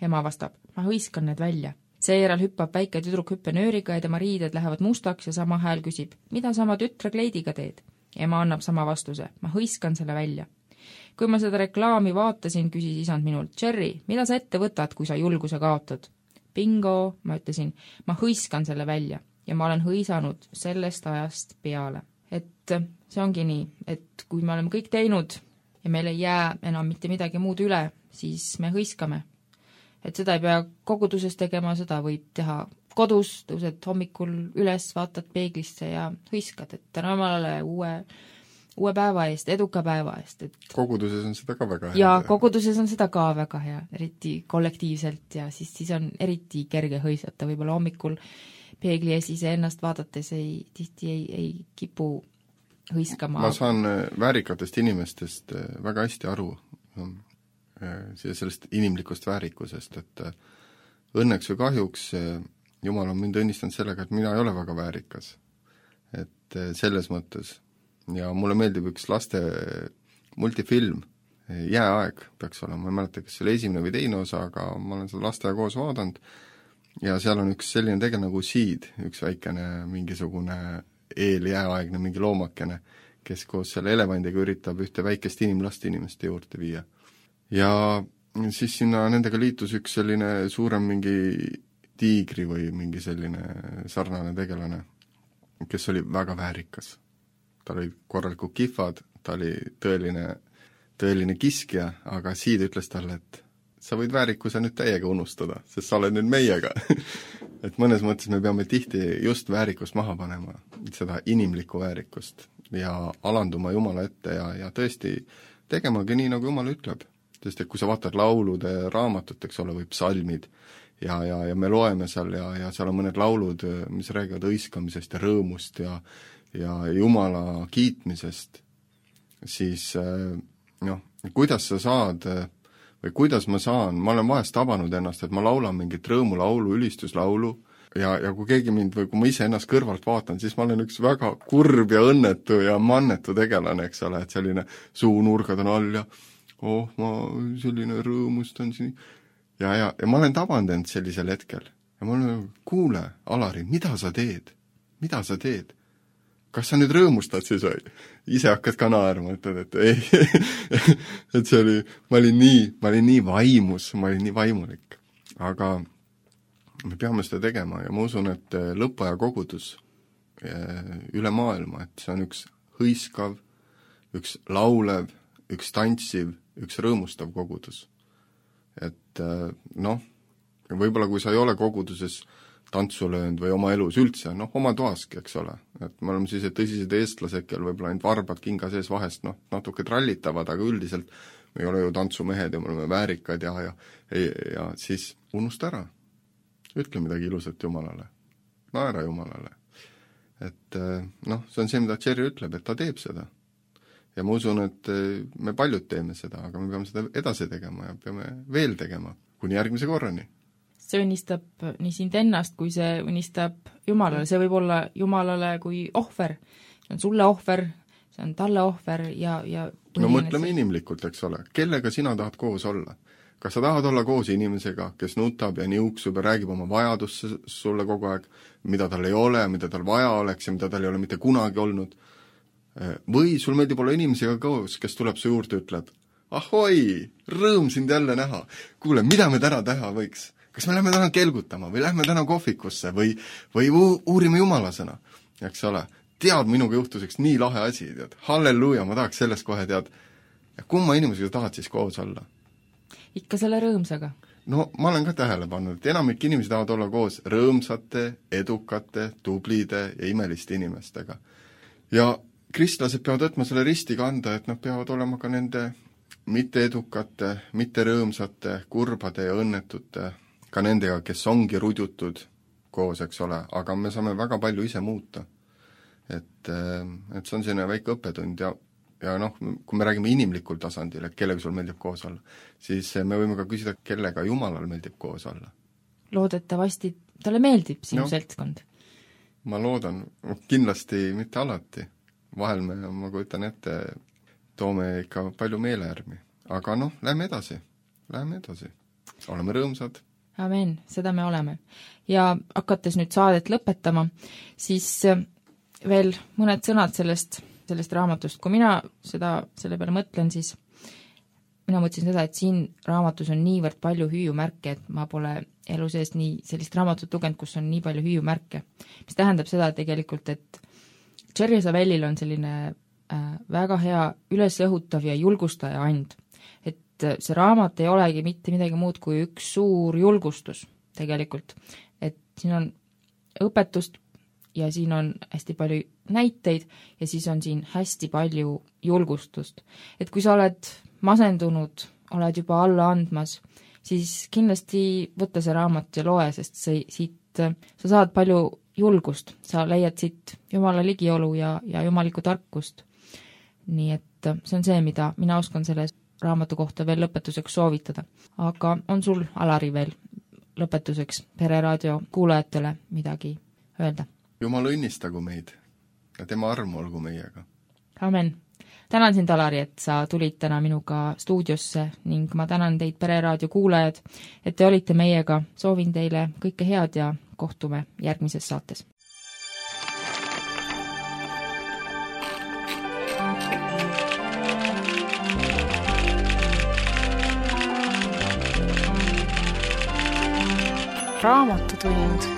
Ema vastab, ma hõiskan need välja. Seejärel hüppab väike tüdruk hüppenööriga ja tema riided lähevad mustaks ja sama hääl küsib, mida sa oma tütre kleidiga teed? Ema annab sama vastuse, ma hõiskan selle välja. Kui ma seda reklaami vaatasin, küsis isand minult, Jerry, mida sa ette võtad, kui sa julguse kaotad? Bingo, ma ütlesin, ma hõiskan selle välja. ja ma olen hõisanud sellest ajast peale. Et see ongi nii, et kui me oleme kõik teinud ja meil ei jää enam mitte midagi muud üle, siis me hõiskame. Et seda ei pea koguduses tegema, seda võib teha kodus, tõused hommikul üles, vaatad peeglisse ja hõiskad, et täna Jumalale uue, uue päeva eest, eduka päeva eest. Et koguduses on seda ka väga hea. ja koguduses on seda ka väga hea, eriti kollektiivselt ja siis, siis on eriti kerge hõisata, võib-olla hommikul peegli ees ise ennast vaadates ei, tihti ei, ei kipu hõiskama. Ma saan väärikatest inimestest väga hästi aru, sellest inimlikust väärikusest, et õnneks või kahjuks Jumal on mind õnnistanud sellega, et mina ei ole väga väärikas. Et selles mõttes. Ja mulle meeldib üks laste multifilm, Jääaeg peaks olema, ma ei mäleta, kas see oli esimene või teine osa, aga ma olen seda lastega koos vaadanud, ja seal on üks selline tegel nagu Seed, üks väikene mingisugune eeljääaegne mingi loomakene, kes koos selle elevandiga üritab ühte väikest inimlast inimeste juurde viia. Ja siis sinna nendega liitus üks selline suurem mingi tiigri või mingi selline sarnane tegelane, kes oli väga väärikas. Ta oli korralikud kihvad, ta oli tõeline, tõeline kiskja, aga Seed ütles talle, et sa võid väärikuse nüüd täiega unustada, sest sa oled nüüd meiega. Et mõnes mõttes me peame tihti just väärikust maha panema, seda inimlikku väärikust ja alanduma Jumala ette ja, ja tõesti tegemagi nii, nagu Jumal ütleb. Sest et kui sa vaatad laulude raamatut, eks ole, või psalmid ja, ja, ja me loeme seal ja, ja seal on mõned laulud, mis räägivad õiskamisest ja rõõmust ja, ja Jumala kiitmisest, siis noh, kuidas sa saad või kuidas ma saan, ma olen vahest tabanud ennast, et ma laulan mingit rõõmulaulu, ülistuslaulu ja, ja kui keegi mind või kui ma ise ennast kõrvalt vaatan, siis ma olen üks väga kurb ja õnnetu ja mannetu tegelane, eks ole, et selline suunurgad on all ja oh, ma selline rõõmustan siin ja, ja, ja ma olen tabanud end sellisel hetkel ja ma olen, kuule, Alari, mida sa teed? Mida sa teed? Kas sa nüüd rõõmustad siis või? Ise hakkad ka naerma, ütled, et ei, et see oli, ma olin nii, ma olin nii vaimus, ma olin nii vaimulik. Aga me peame seda tegema ja ma usun, et lõppaja kogudus üle maailma, et see on üks hõiskav, üks laulev, üks tantsiv, üks rõõmustav kogudus. Et noh, võib-olla kui sa ei ole koguduses tantsu löönud või oma elus üldse, noh, oma toaski, eks ole. Et me oleme siis tõsised eestlased, kel võib-olla ainult varbad kinga sees vahest, noh, natuke trallitavad, aga üldiselt me ei ole ju tantsumehed ja me oleme väärikad ja, ja, ja, ja siis unusta ära. Ütle midagi ilusat Jumalale. Naera Jumalale. Et noh, see on see, mida Jerry ütleb, et ta teeb seda. Ja ma usun, et me paljud teeme seda, aga me peame seda edasi tegema ja peame veel tegema, kuni järgmise korrani. See unistab nii sind ennast, kui see unistab Jumalale. See võib olla Jumalale kui ohver. See on sulle ohver, see on talle ohver ja, ja no mõtleme see inimlikult, eks ole. Kellega sina tahad koos olla? Kas sa tahad olla koos inimesega, kes nutab ja niuksub ja räägib oma vajadusse sulle kogu aeg, mida tal ei ole, mida tal vaja oleks ja mida tal ei ole mitte kunagi olnud? Või sul meeldib olla inimesega koos, kes tuleb su juurde ja ütleb, ahoi, rõõm sind jälle näha. Kuule, mida me täna teha võiks? Kas me lähme täna kelgutama või lähme täna kohvikusse või, või uurime Jumala sõna, eks ole. Tead, minuga juhtus üks nii lahe asi, tead. Halleluuja, ma tahaks sellest kohe tead. Ja kumma inimesega tahad siis koos olla? Ikka selle rõõmsaga. No ma olen ka tähele pannud, et enamik inimesi tahavad olla koos rõõmsate, edukate, tublide ja imeliste inimestega. Ja kristlased peavad võtma selle risti kanda, et nad peavad olema ka nende mitte edukate, mitte rõõmsate, kurbade ja õnnetute ka nendega, kes ongi rudjutud koos, eks ole, aga me saame väga palju ise muuta. Et, et see on selline väike õppetund ja, ja noh, kui me räägime inimlikul tasandil, et kellega sul meeldib koos olla, siis me võime ka küsida, kellega Jumalal meeldib koos olla. Loodetavasti talle meeldib sinu no, seltskond. Ma loodan, kindlasti mitte alati. Vahel me, ma kujutan ette, toome ikka palju meeleärmi. Aga noh, lähme edasi, lähme edasi. Oleme rõõmsad. Amen, seda me oleme. Ja hakates nüüd saadet lõpetama, siis veel mõned sõnad sellest, sellest raamatust. Kui mina seda, selle peale mõtlen, siis mina mõtlesin seda, et siin raamatus on niivõrd palju hüüumärke, et ma pole elu sees nii sellist raamatut lugenud, kus on nii palju hüüumärke, mis tähendab seda tegelikult, et Jerry Savellil on selline äh, väga hea ülesõhutav ja julgustaja and. Et äh, see raamat ei olegi mitte midagi muud kui üks suur julgustus tegelikult. Et siin on õpetust ja siin on hästi palju näiteid ja siis on siin hästi palju julgustust. Et kui sa oled masendunud, oled juba alla andmas, siis kindlasti võtta see raamat ja loe, sest see, siit, sa saad palju julgust, sa leiad siit Jumala ligiolu ja, ja jumalikku tarkust. Nii et see on see, mida mina oskan selle raamatu kohta veel lõpetuseks soovitada. Aga on sul, Alari, veel lõpetuseks Pereraadio kuulajatele midagi öelda? Jumal õnnistagu meid ja tema arm olgu meiega. Amen. Tänan sind, Alari, et sa tulid täna minuga stuudiosse ning ma tänan teid, Pereraadio kuulajad, et te olite meiega. Soovin teile kõike head ja kohtume järgmises saates. Raamatutund.